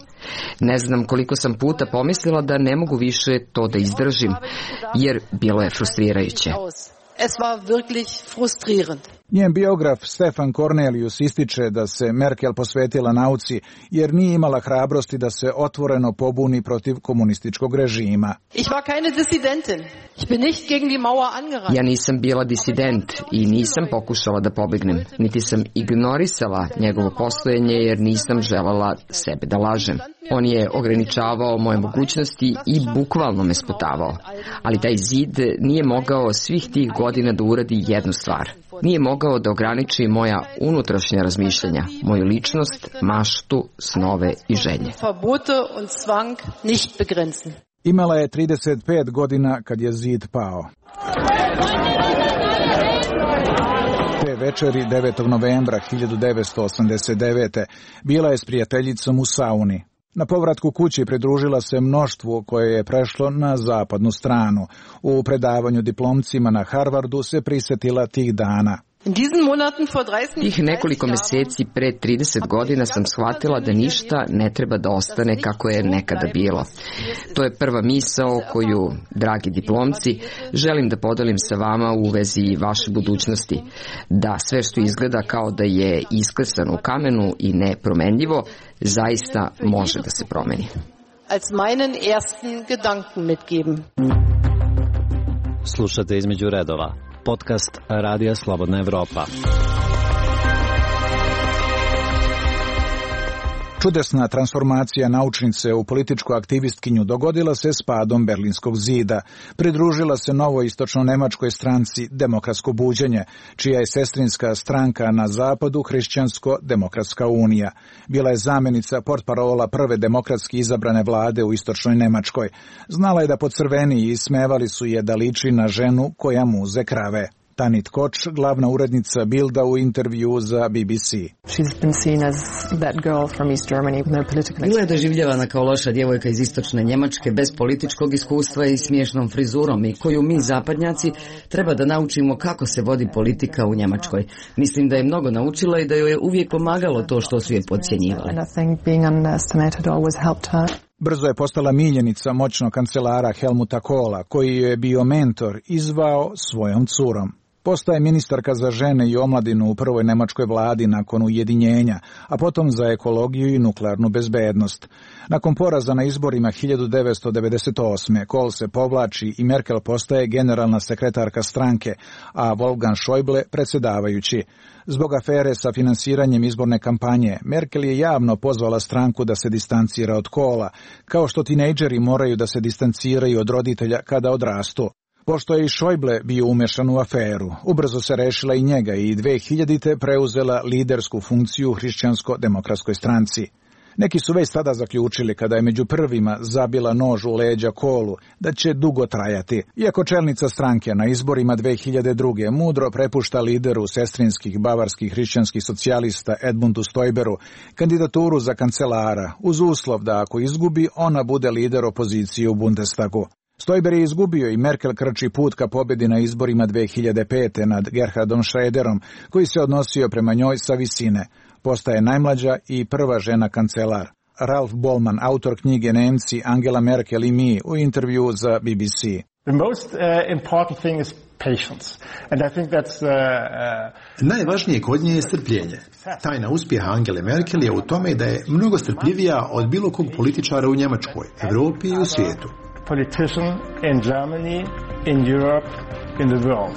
Ne znam koliko sam puta pomislila da ne mogu više to da izdržim, jer bilo je frustrirajuće. Njen biograf Stefan Cornelius ističe da se Merkel posvetila nauci jer nije imala hrabrosti da se otvoreno pobuni protiv komunističkog režima. Ja nisam bila disident i nisam pokušala da pobegnem, niti sam ignorisala njegovo postojanje jer nisam želala sebe da lažem. On je ograničavao moje mogućnosti i bukvalno me sputavao. Ali taj zid nije mogao svih tih godina da uradi jednu stvar. Nije mogao da ograniči moja unutrašnja razmišljanja, moju ličnost, maštu, snove i želje. Imala je 35 godina kad je zid pao. Te večeri 9. novembra 1989. bila je s prijateljicom u sauni. Na povratku kući pridružila se mnoštvu koje je prešlo na zapadnu stranu. U predavanju diplomcima na Harvardu se prisjetila tih dana. Tih nekoliko meseci pre 30 godina sam shvatila da ništa ne treba da ostane kako je nekada bilo. To je prva misao koju, dragi diplomci, želim da podelim sa vama u vezi vaše budućnosti. Da sve što izgleda kao da je isklesano u kamenu i nepromenljivo, zaista može da se promeni. Slušate Između redova, podcast Radija Slobodna Evropa. Čudesna transformacija naučnice u političku aktivistkinju dogodila se s padom Berlinskog zida. Pridružila se novoj istočno-nemačkoj stranci Demokratsko buđenje, čija je sestrinska stranka na zapadu Hrišćansko-demokratska unija. Bila je zamjenica portparola prve demokratski izabrane vlade u istočnoj Nemačkoj. Znala je da pocrveni i ismevali su je da liči na ženu koja muze krave. Tanit Koč, glavna urednica Bilda u intervju za BBC. Bila je doživljavana kao loša djevojka iz istočne Njemačke bez političkog iskustva i smiješnom frizurom i koju mi zapadnjaci treba da naučimo kako se vodi politika u Njemačkoj. Mislim da je mnogo naučila i da joj je uvijek pomagalo to što su je podcjenjivali. Brzo je postala miljenica moćnog kancelara Helmuta Kohla, koji je bio mentor i zvao svojom curom. Postaje ministarka za žene i omladinu u prvoj nemačkoj vladi nakon ujedinjenja, a potom za ekologiju i nuklearnu bezbednost. Nakon poraza na izborima 1998. Kohl se povlači i Merkel postaje generalna sekretarka stranke, a Wolfgang Schäuble predsjedavajući. Zbog afere sa finansiranjem izborne kampanje, Merkel je javno pozvala stranku da se distancira od Kohla, kao što tinejdžeri moraju da se distanciraju od roditelja kada odrastu. Pošto je i Schäuble bio umešan u aferu, ubrzo se rešila i njega i 2000. preuzela lidersku funkciju u Hrišćansko-demokratskoj stranci. Neki su već tada zaključili, kada je među prvima zabila nož u leđa Kohlu, da će dugo trajati. Iako čelnica stranke na izborima 2002. mudro prepušta lideru sestrinskih bavarskih hrišćanskih socijalista Edmundu Stoiberu kandidaturu za kancelara, uz uslov da ako izgubi, ona bude lider opozicije u Bundestagu. Stoiber je izgubio i Merkel krči put ka pobjedi na izborima 2005. nad Gerhardom Schröderom, koji se odnosio prema njoj sa visine. Postaje najmlađa i prva žena kancelar. Ralf Bollmann, autor knjige Nemci, Angela Merkel i mi, u intervju za BBC. Najvažnije kod nje je strpljenje. Tajna uspjeha Angele Merkel je u tome da je mnogo strpljivija od bilo kog političara u Njemačkoj, Evropi i u svijetu. Politician in Germany, in Europe, in the world.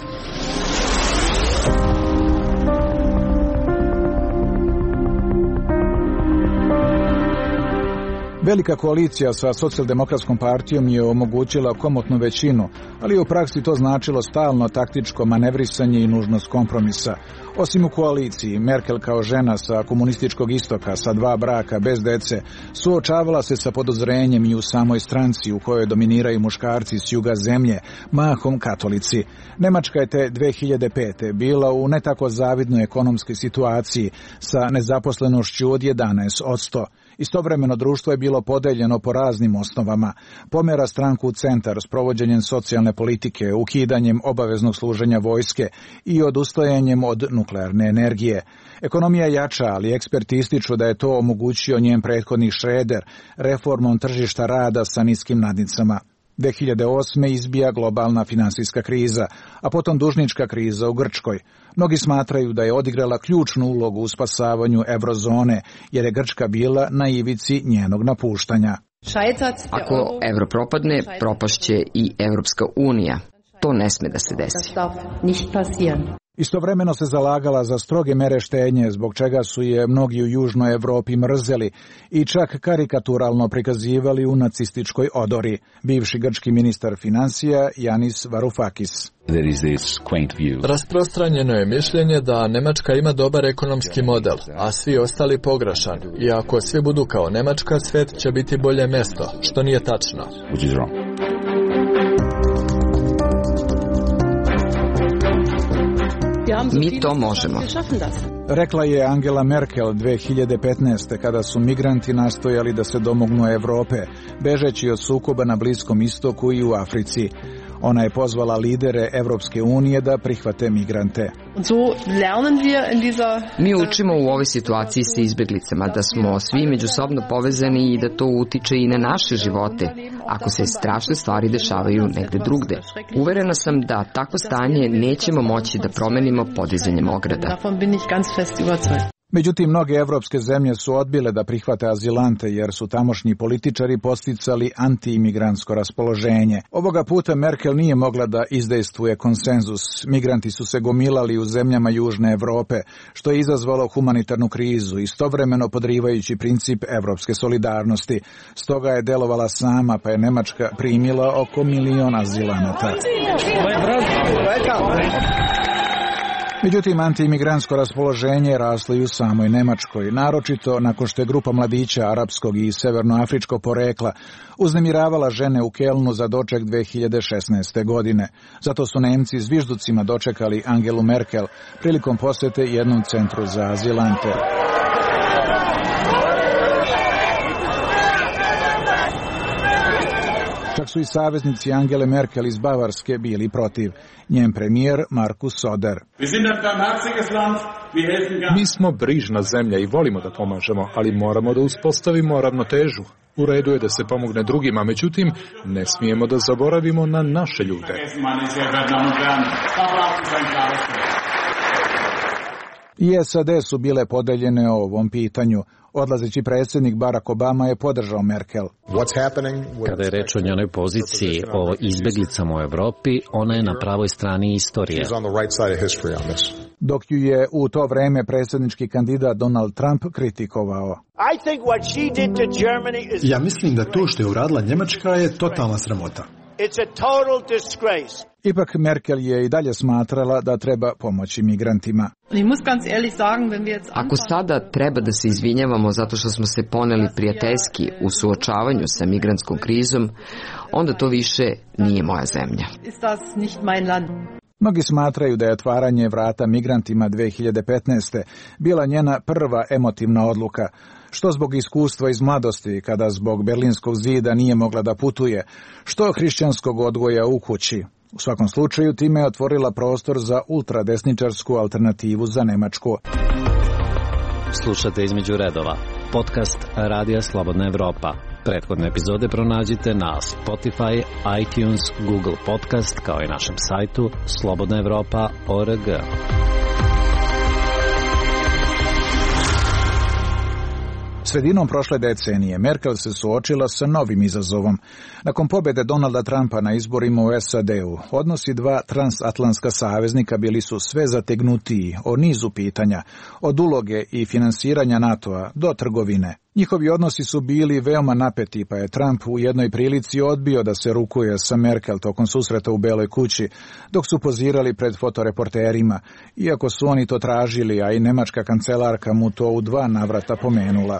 Velika koalicija sa socijaldemokratskom partijom je omogućila komotnu većinu, ali u praksi to značilo stalno taktičko manevrisanje i nužnost kompromisa. Osim u koaliciji, Merkel kao žena sa komunističkog istoka, sa 2 braka, bez dece, suočavala se sa podozrenjem i u samoj stranci u kojoj dominiraju muškarci s juga zemlje, mahom katolici. Nemačka je te 2005. bila u ne tako zavidnoj ekonomskoj situaciji sa nezaposlenošću od 11%. Istovremeno društvo je bilo podeljeno po raznim osnovama. Pomera stranku u centar s provođenjem socijalne politike, ukidanjem obaveznog služenja vojske i odustajanjem od nuklearne energije. Ekonomija jača, ali eksperti ističu da je to omogućio njen prethodnik Schröder reformom tržišta rada sa niskim nadnicama. 2008. izbija globalna finansijska kriza, a potom dužnička kriza u Grčkoj. Mnogi smatraju da je odigrala ključnu ulogu u spasavanju eurozone, jer je Grčka bila na ivici njenog napuštanja. Ako euro propadne, propašće i Evropska unija. To ne sme da se desi. Istovremeno se zalagala za stroge mere štednje, zbog čega su je mnogi u Južnoj Evropi mrzeli i čak karikaturalno prikazivali u nacističkoj odori. Bivši grčki ministar financija Yanis Varoufakis. Rasprostranjeno je mišljenje da Nemačka ima dobar ekonomski model, a svi ostali pogrešan. I ako svi budu kao Nemačka, svijet će biti bolje mjesto, što nije tačno. Mi to možemo. Rekla je Angela Merkel 2015. kada su migranti nastojali da se domognu Evrope, bežeći od sukoba na Bliskom istoku i u Africi. Ona je pozvala lidere Evropske unije da prihvate migrante. Mi učimo u ovoj situaciji sa izbeglicama da smo svi međusobno povezani i da to utiče i na naše živote, ako se strašne stvari dešavaju negde drugde. Uverena sam da takvo stanje nećemo moći da promenimo podizanjem ograda. Međutim, mnoge evropske zemlje su odbile da prihvate azilante jer su tamošnji političari posticali anti-imigrantsko raspoloženje. Ovoga puta Merkel nije mogla da izdejstvuje konsenzus. Migranti su se gomilali u zemljama Južne Evrope, što je izazvalo humanitarnu krizu, istovremeno podrivajući princip evropske solidarnosti. Stoga je delovala sama, pa je Nemačka primila oko 1 milion azilanata. Međutim, antiimigrantsko raspoloženje raslo i u samoj Nemačkoj, naročito nakon što je grupa mladića arapskog i severnoafričkog porekla uznemiravala žene u Kelnu za doček 2016. godine. Zato su Nemci zvižducima dočekali Angelu Merkel prilikom posete jednom centru za azilante. Čak su i saveznici Angele Merkel iz Bavarske bili protiv. Njen premijer Markus Söder. Mi smo brižna zemlja i volimo da pomažemo, ali moramo da uspostavimo ravnotežu. U redu je da se pomogne drugima, međutim, ne smijemo da zaboravimo na naše ljude. I SAD su bile podeljene o ovom pitanju. Odlazeći predsjednik Barack Obama je podržao Merkel. Kada je reč o njenoj poziciji o izbeglicama u Evropi, ona je na pravoj strani istorije. Dok ju je u to vreme predsjednički kandidat Donald Trump kritikovao. Ja mislim da to što je uradila Njemačka je totalna sramota. Ipak Merkel je i dalje smatrala da treba pomoći migrantima. Ako sada treba da se izvinjavamo zato što smo se poneli prijateljski u suočavanju sa migrantskom krizom, onda to više nije moja zemlja. Mnogi smatraju da je otvaranje vrata migrantima 2015. bila njena prva emotivna odluka, što zbog iskustva iz mladosti, kada zbog Berlinskog zida nije mogla da putuje, što hrišćanskog odgoja u kući. U svakom slučaju, time je otvorila prostor za ultradesničarsku alternativu za Nemačku. Slušate Između redova, podcast Radija Slobodna Evropa. Prethodne epizode pronađite na Spotify, iTunes, Google Podcast, kao i našem sajtu slobodnaevropa.org. Sredinom prošle decenije Merkel se suočila sa novim izazovom. Nakon pobjede Donalda Trumpa na izborima u SAD-u, odnosi dva transatlantska saveznika bili su sve zategnutiji o nizu pitanja, od uloge i finansiranja NATO-a do trgovine. Njihovi odnosi su bili veoma napeti, pa je Trump u jednoj prilici odbio da se rukuje sa Merkel tokom susreta u Beloj kući, dok su pozirali pred fotoreporterima, iako su oni to tražili, a i nemačka kancelarka mu to u 2 navrata pomenula.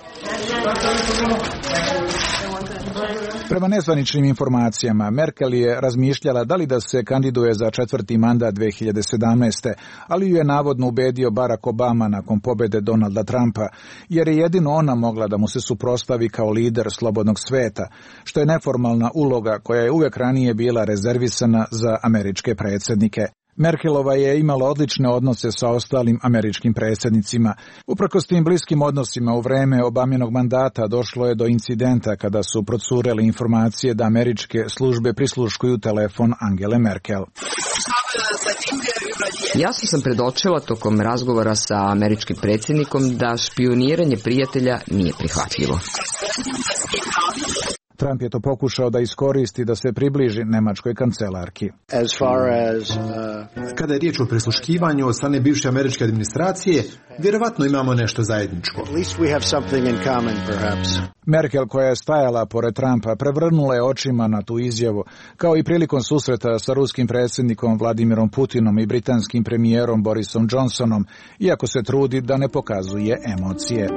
Prema nezvaničnim informacijama, Merkel je razmišljala da li da se kandiduje za 4. mandat 2017. ali ju je navodno ubedio Barack Obama nakon pobjede Donalda Trumpa, jer je jedino ona mogla da mu se suprotstavi kao lider slobodnog sveta, što je neformalna uloga koja je uvijek ranije bila rezervisana za američke predsjednike. Merkelova je imala odlične odnose sa ostalim američkim predsjednicima. Uprkos tim bliskim odnosima u vreme Obaminog mandata došlo je do incidenta kada su procurele informacije da američke službe prisluškuju telefon Angele Merkel. Jasno sam predočila tokom razgovora sa američkim predsjednikom da špioniranje prijatelja nije prihvatljivo. Trump je to pokušao da iskoristi da se približi nemačkoj kancelarki. Kada je riječ o prisluškivanju od strane bivše američke administracije, vjerovatno imamo nešto zajedničko. Merkel, koja je stajala pored Trumpa, prevrnula je očima na tu izjavu, kao i prilikom susreta sa ruskim predsjednikom Vladimirom Putinom i britanskim premijerom Borisom Johnsonom, iako se trudi da ne pokazuje emocije.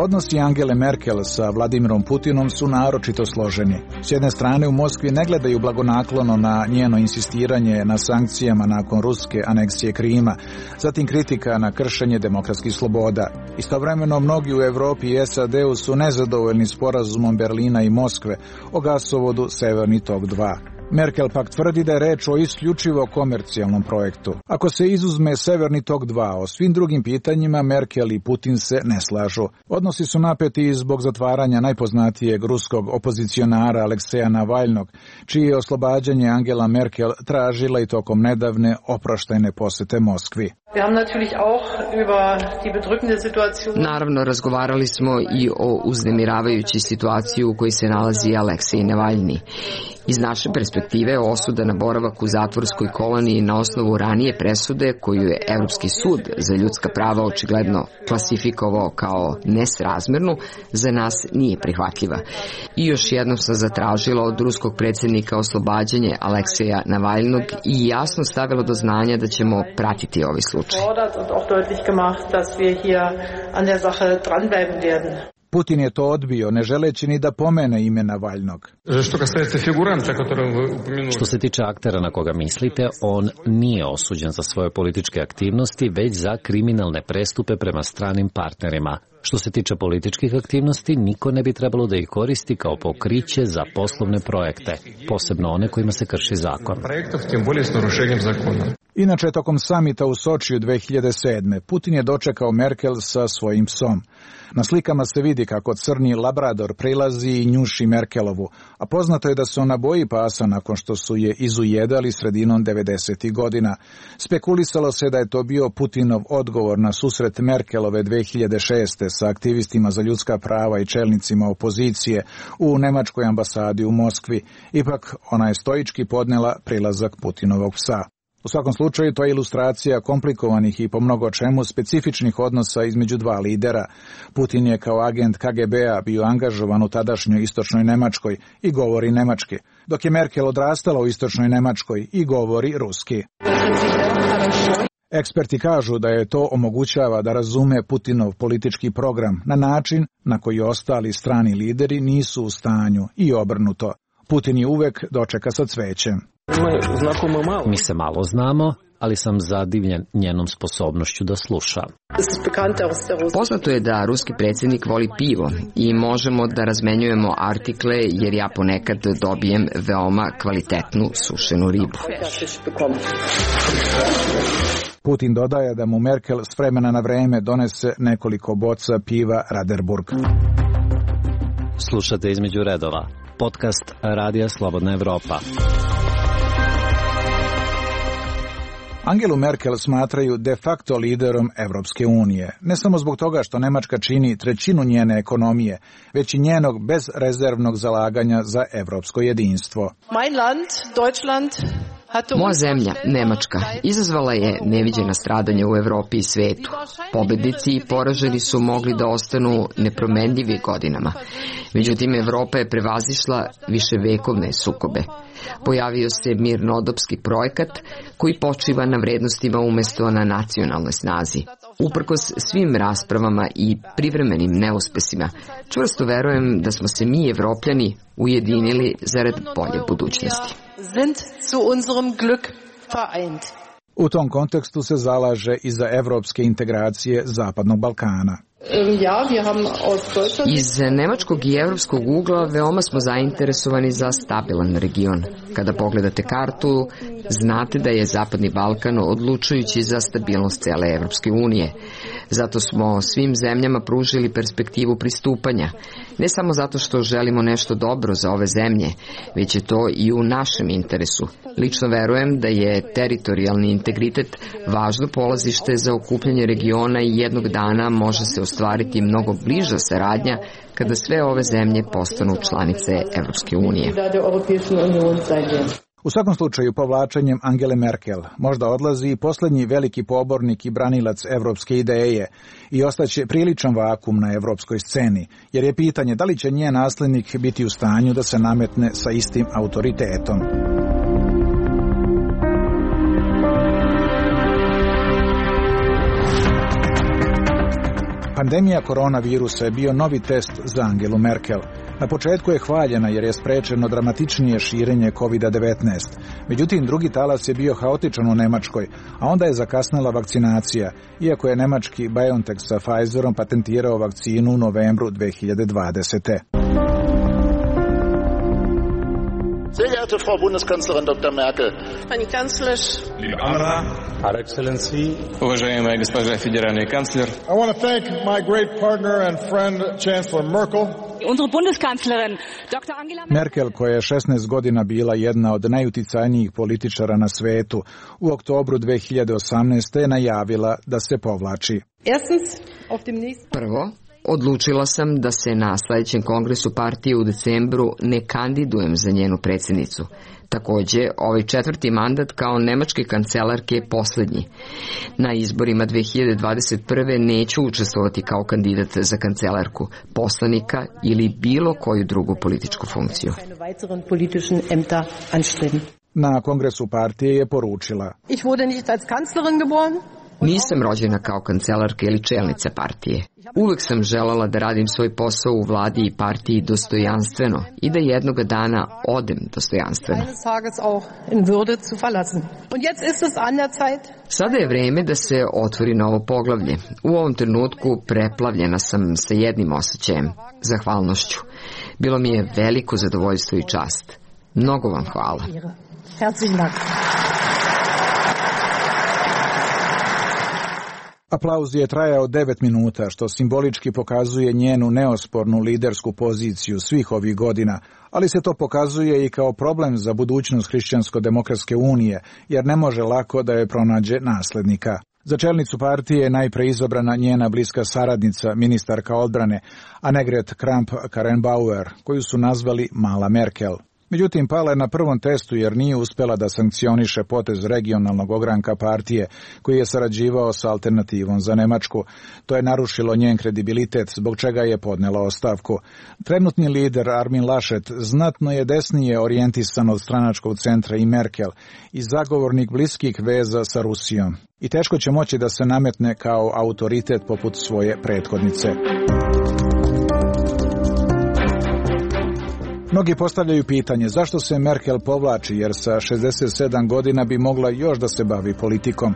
Odnosi Angele Merkel sa Vladimirom Putinom su naročito složeni. S jedne strane u Moskvi ne gledaju blagonaklono na njeno insistiranje na sankcijama nakon ruske aneksije Krima, zatim kritika na kršenje demokratskih sloboda. Istovremeno mnogi u Evropi i SAD-u su nezadovoljni sporazumom Berlina i Moskve o gasovodu Severni tok 2. Merkel pak tvrdi da je reč o isključivo komercijalnom projektu. Ako se izuzme Severni tok 2, o svim drugim pitanjima Merkel i Putin se ne slažu. Odnosi su napeti zbog zatvaranja najpoznatijeg ruskog opozicionara Alekseja Navalnog, čije je oslobađanje Angela Merkel tražila i tokom nedavne oproštajne posete Moskvi. Naravno, razgovarali smo i o uznemiravajućoj situaciji u kojoj se nalazi Aleksej Navalni. Iz naše perspektive osuda na boravak u zatvorskoj koloniji na osnovu ranije presude koju je Evropski sud za ljudska prava očigledno klasifikovao kao nesrazmernu, za nas nije prihvatljiva. I još jednom sam zatražila od ruskog predsjednika oslobađanje Alekseja Navalnog i jasno stavila do znanja da ćemo pratiti ovaj slučaj. Putin je to odbio, ne želeći ni da pomene ime Navalnog. Što se tiče aktera na koga mislite, on nije osuđen za svoje političke aktivnosti, već za kriminalne prestupe prema stranim partnerima. Što se tiče političkih aktivnosti, niko ne bi trebalo da ih koristi kao pokriće za poslovne projekte, posebno one kojima se krši zakon. Inače, tokom samita u Sočiju 2007. Putin je dočekao Merkel sa svojim psom. Na slikama se vidi kako crni labrador prilazi i njuši Merkelovu, a poznato je da se ona boji pasa nakon što su je izujedali sredinom 90. godina. Spekulisalo se da je to bio Putinov odgovor na susret Merkelove 2006. sa aktivistima za ljudska prava i čelnicima opozicije u nemačkoj ambasadi u Moskvi. Ipak, ona je stoički podnela prilazak Putinovog psa. U svakom slučaju, to je ilustracija komplikovanih i po mnogo čemu specifičnih odnosa između dva lidera. Putin je kao agent KGB-a bio angažovan u tadašnjoj istočnoj Nemačkoj i govori nemački, dok je Merkel odrastala u istočnoj Nemačkoj i govori ruski. Eksperti kažu da je to omogućava da razume Putinov politički program na način na koji ostali strani lideri nisu u stanju i obrnuto. Putin je uvek dočeka sa cvećem. Mi se malo znamo, ali sam zadivljen njenom sposobnošću da sluša. Poznato je da ruski predsjednik voli pivo i možemo da razmenjujemo artikle jer ja ponekad dobijem veoma kvalitetnu sušenu ribu. Putin dodaje da mu Merkel s vremena na vreme donese nekoliko boca piva Raderburg. Slušate Između redova, podcast Radija Slobodna Evropa. Angelu Merkel smatraju de facto liderom Evropske unije, ne samo zbog toga što Nemačka čini trećinu njene ekonomije, već i njenog bezrezervnog zalaganja za evropsko jedinstvo. Moja zemlja, Nemačka, izazvala je neviđena stradanja u Evropi i svetu. Pobednici i poraženi su mogli da ostanu nepromenljivi godinama. Međutim, Evropa je prevazišla viševekovne sukobe. Pojavio se mirnodopski projekat koji počiva na vrednostima umesto na nacionalnoj snazi. Uprkos svim raspravama i privremenim neuspesima, čvrsto verujem da smo se mi, Evropljani, ujedinili zarad bolje budućnosti. U tom kontekstu se zalaže i za evropske integracije Zapadnog Balkana. Iz nemačkog i evropskog ugla veoma smo zainteresovani za stabilan region. Kada pogledate kartu, znate da je Zapadni Balkan odlučujući za stabilnost cele Evropske unije. Zato smo svim zemljama pružili perspektivu pristupanja. Ne samo zato što želimo nešto dobro za ove zemlje, već je to i u našem interesu. Lično verujem da je teritorijalni integritet važno polazište za okupljanje regiona i jednog dana može se ostvariti mnogo bliža saradnja kada sve ove zemlje postanu članice Evropske unije. U svakom slučaju, povlačenjem Angele Merkel možda odlazi i posljednji veliki pobornik i branilac evropske ideje i ostaće priličan vakum na evropskoj sceni, jer je pitanje da li će njen naslednik biti u stanju da se nametne sa istim autoritetom. Pandemija koronavirusa je bio novi test za Angelu Merkel. Na početku je hvaljena jer je sprečeno dramatičnije širenje COVID-19. Međutim, drugi talas je bio haotičan u Nemačkoj, a onda je zakasnila vakcinacija, iako je nemački BioNTech sa Pfizerom patentirao vakcinu u novembru 2020. Sehr geehrte Frau Bundeskanzlerin Dr. Merkel, Pani Kanclerz, liebe Anna, Her Excellency, уважаемая госпожа федеральный канцлер. I want to thank my great partner and friend Chancellor Merkel. Unsere Bundeskanzlerin Dr. Angela Merkel, koja je 16 godina bila jedna od najuticajnijih političara na svetu, u oktobru 2018. je najavila da se povlači. Prvo, odlučila sam da se na sljedećem kongresu partije u decembru ne kandidujem za njenu predsjednicu. Također, ovaj 4. mandat kao nemačke kancelarke je posljednji. Na izborima 2021. neću učestvovati kao kandidat za kancelarku, poslanika ili bilo koju drugu političku funkciju. Na kongresu partije je poručila: Nisam rođena kao kancelarka ili čelnica partije. Uvek sam želala da radim svoj posao u vladi i partiji dostojanstveno i da jednoga dana odem dostojanstveno. Sada je vreme da se otvori novo poglavlje. U ovom trenutku preplavljena sam sa jednim osjećajem, zahvalnošću. Bilo mi je veliko zadovoljstvo i čast. Mnogo vam hvala. Aplauz je trajao 9 minuta, što simbolički pokazuje njenu neospornu lidersku poziciju svih ovih godina, ali se to pokazuje i kao problem za budućnost Hrišćansko-demokratske unije, jer ne može lako da je pronađe naslednika. Za čelnicu partije je najpre izabrana njena bliska saradnica, ministarka odbrane, Annegret Kramp-Karrenbauer, koju su nazvali Mala Merkel. Međutim, pala je na prvom testu jer nije uspjela da sankcioniše potez regionalnog ogranka partije koji je sarađivao sa Alternativom za Nemačku. To je narušilo njen kredibilitet, zbog čega je podnela ostavku. Trenutni lider Armin Laschet znatno je desnije orijentisan od stranačkog centra i Merkel i zagovornik bliskih veza sa Rusijom. I teško će moći da se nametne kao autoritet poput svoje prethodnice. Mnogi postavljaju pitanje zašto se Merkel povlači, jer sa 67 godina bi mogla još da se bavi politikom.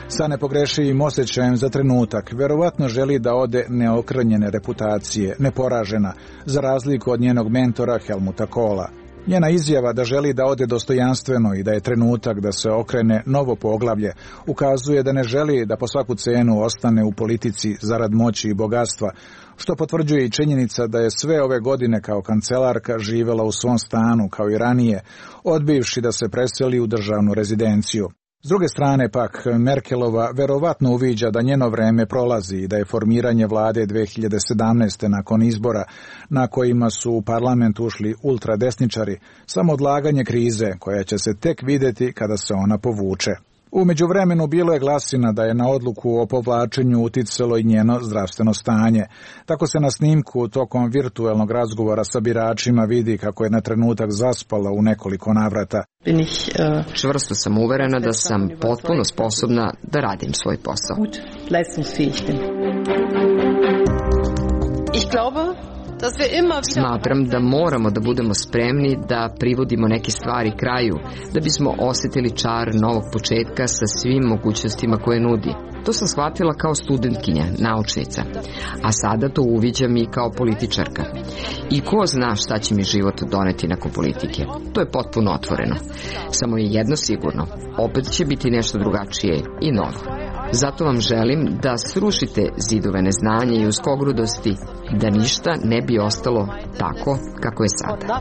Sa nepogrešivim osjećajem za trenutak, verovatno želi da ode neokrnjene reputacije, neporažena, za razliku od njenog mentora Helmuta Kohla. Njena izjava da želi da ode dostojanstveno i da je trenutak da se okrene novo poglavlje ukazuje da ne želi da po svaku cenu ostane u politici zarad moći i bogatstva, što potvrđuje i činjenica da je sve ove godine kao kancelarka živjela u svom stanu kao i ranije, odbivši da se preseli u državnu rezidenciju. S druge strane pak, Merkelova verovatno uviđa da njeno vreme prolazi i da je formiranje vlade 2017. nakon izbora, na kojima su u parlament ušli ultradesničari, samo odlaganje krize koja će se tek vidjeti kada se ona povuče. U međuvremenu bilo je glasina da je na odluku o povlačenju uticalo i njeno zdravstveno stanje. Tako se na snimku tokom virtuelnog razgovora sa biračima vidi kako je na trenutak zaspala u nekoliko navrata. Čvrsto sam uverena da sam potpuno sposobna da radim svoj posao. Smatram da moramo da budemo spremni da privodimo neke stvari kraju, da bismo osjetili čar novog početka sa svim mogućnostima koje nudi. To sam shvatila kao studentkinja, naučnica, a sada to uviđam i kao političarka. I ko zna šta će mi život doneti nakon politike. To je potpuno otvoreno. Samo je jedno sigurno, opet će biti nešto drugačije i novo. Zato vam želim da srušite zidove neznanja i uskogrudosti, da ništa ne bi ostalo tako kako je sada.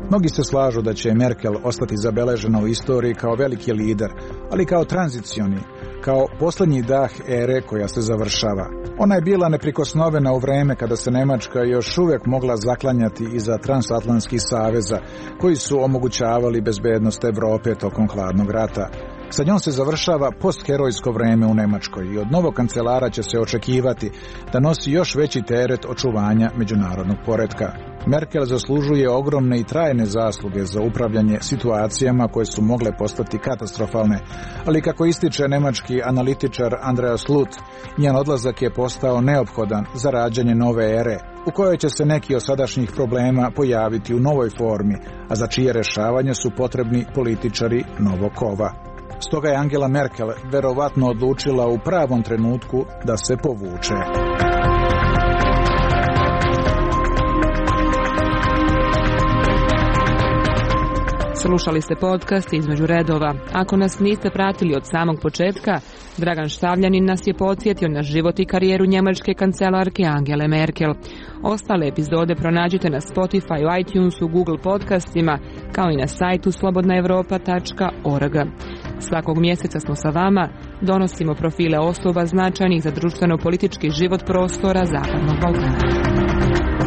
Mnogi se slažu da će Merkel ostati zabeležena u istoriji kao veliki lider, ali kao tranzicioni, kao posljednji dah ere koja se završava. Ona je bila neprikosnovena u vreme kada se Nemačka još uvijek mogla zaklanjati iza transatlantskih saveza koji su omogućavali bezbednost Evrope tokom hladnog rata. Sa njom se završava postherojsko vreme u Nemačkoj i od novog kancelara će se očekivati da nosi još veći teret očuvanja međunarodnog poretka. Merkel zaslužuje ogromne i trajne zasluge za upravljanje situacijama koje su mogle postati katastrofalne, ali kako ističe nemački analitičar Andreas Luth, njen odlazak je postao neophodan za rađanje nove ere, u kojoj će se neki od sadašnjih problema pojaviti u novoj formi, a za čije rešavanje su potrebni političari novog kova. Stoga je Angela Merkel verovatno odlučila u pravom trenutku da se povuče. Slušali ste podcast Između redova. Ako nas niste pratili od samog početka, Dragan Štavljanin nas je podsjetio na život i karijeru njemačke kancelarke Angele Merkel. Ostale epizode pronađite na Spotify, iTunesu, Google podcastima, kao i na sajtu slobodnaevropa.org. Svakog mjeseca smo sa vama, donosimo profile osoba značajnih za društveno-politički život prostora Zapadnog Balkana.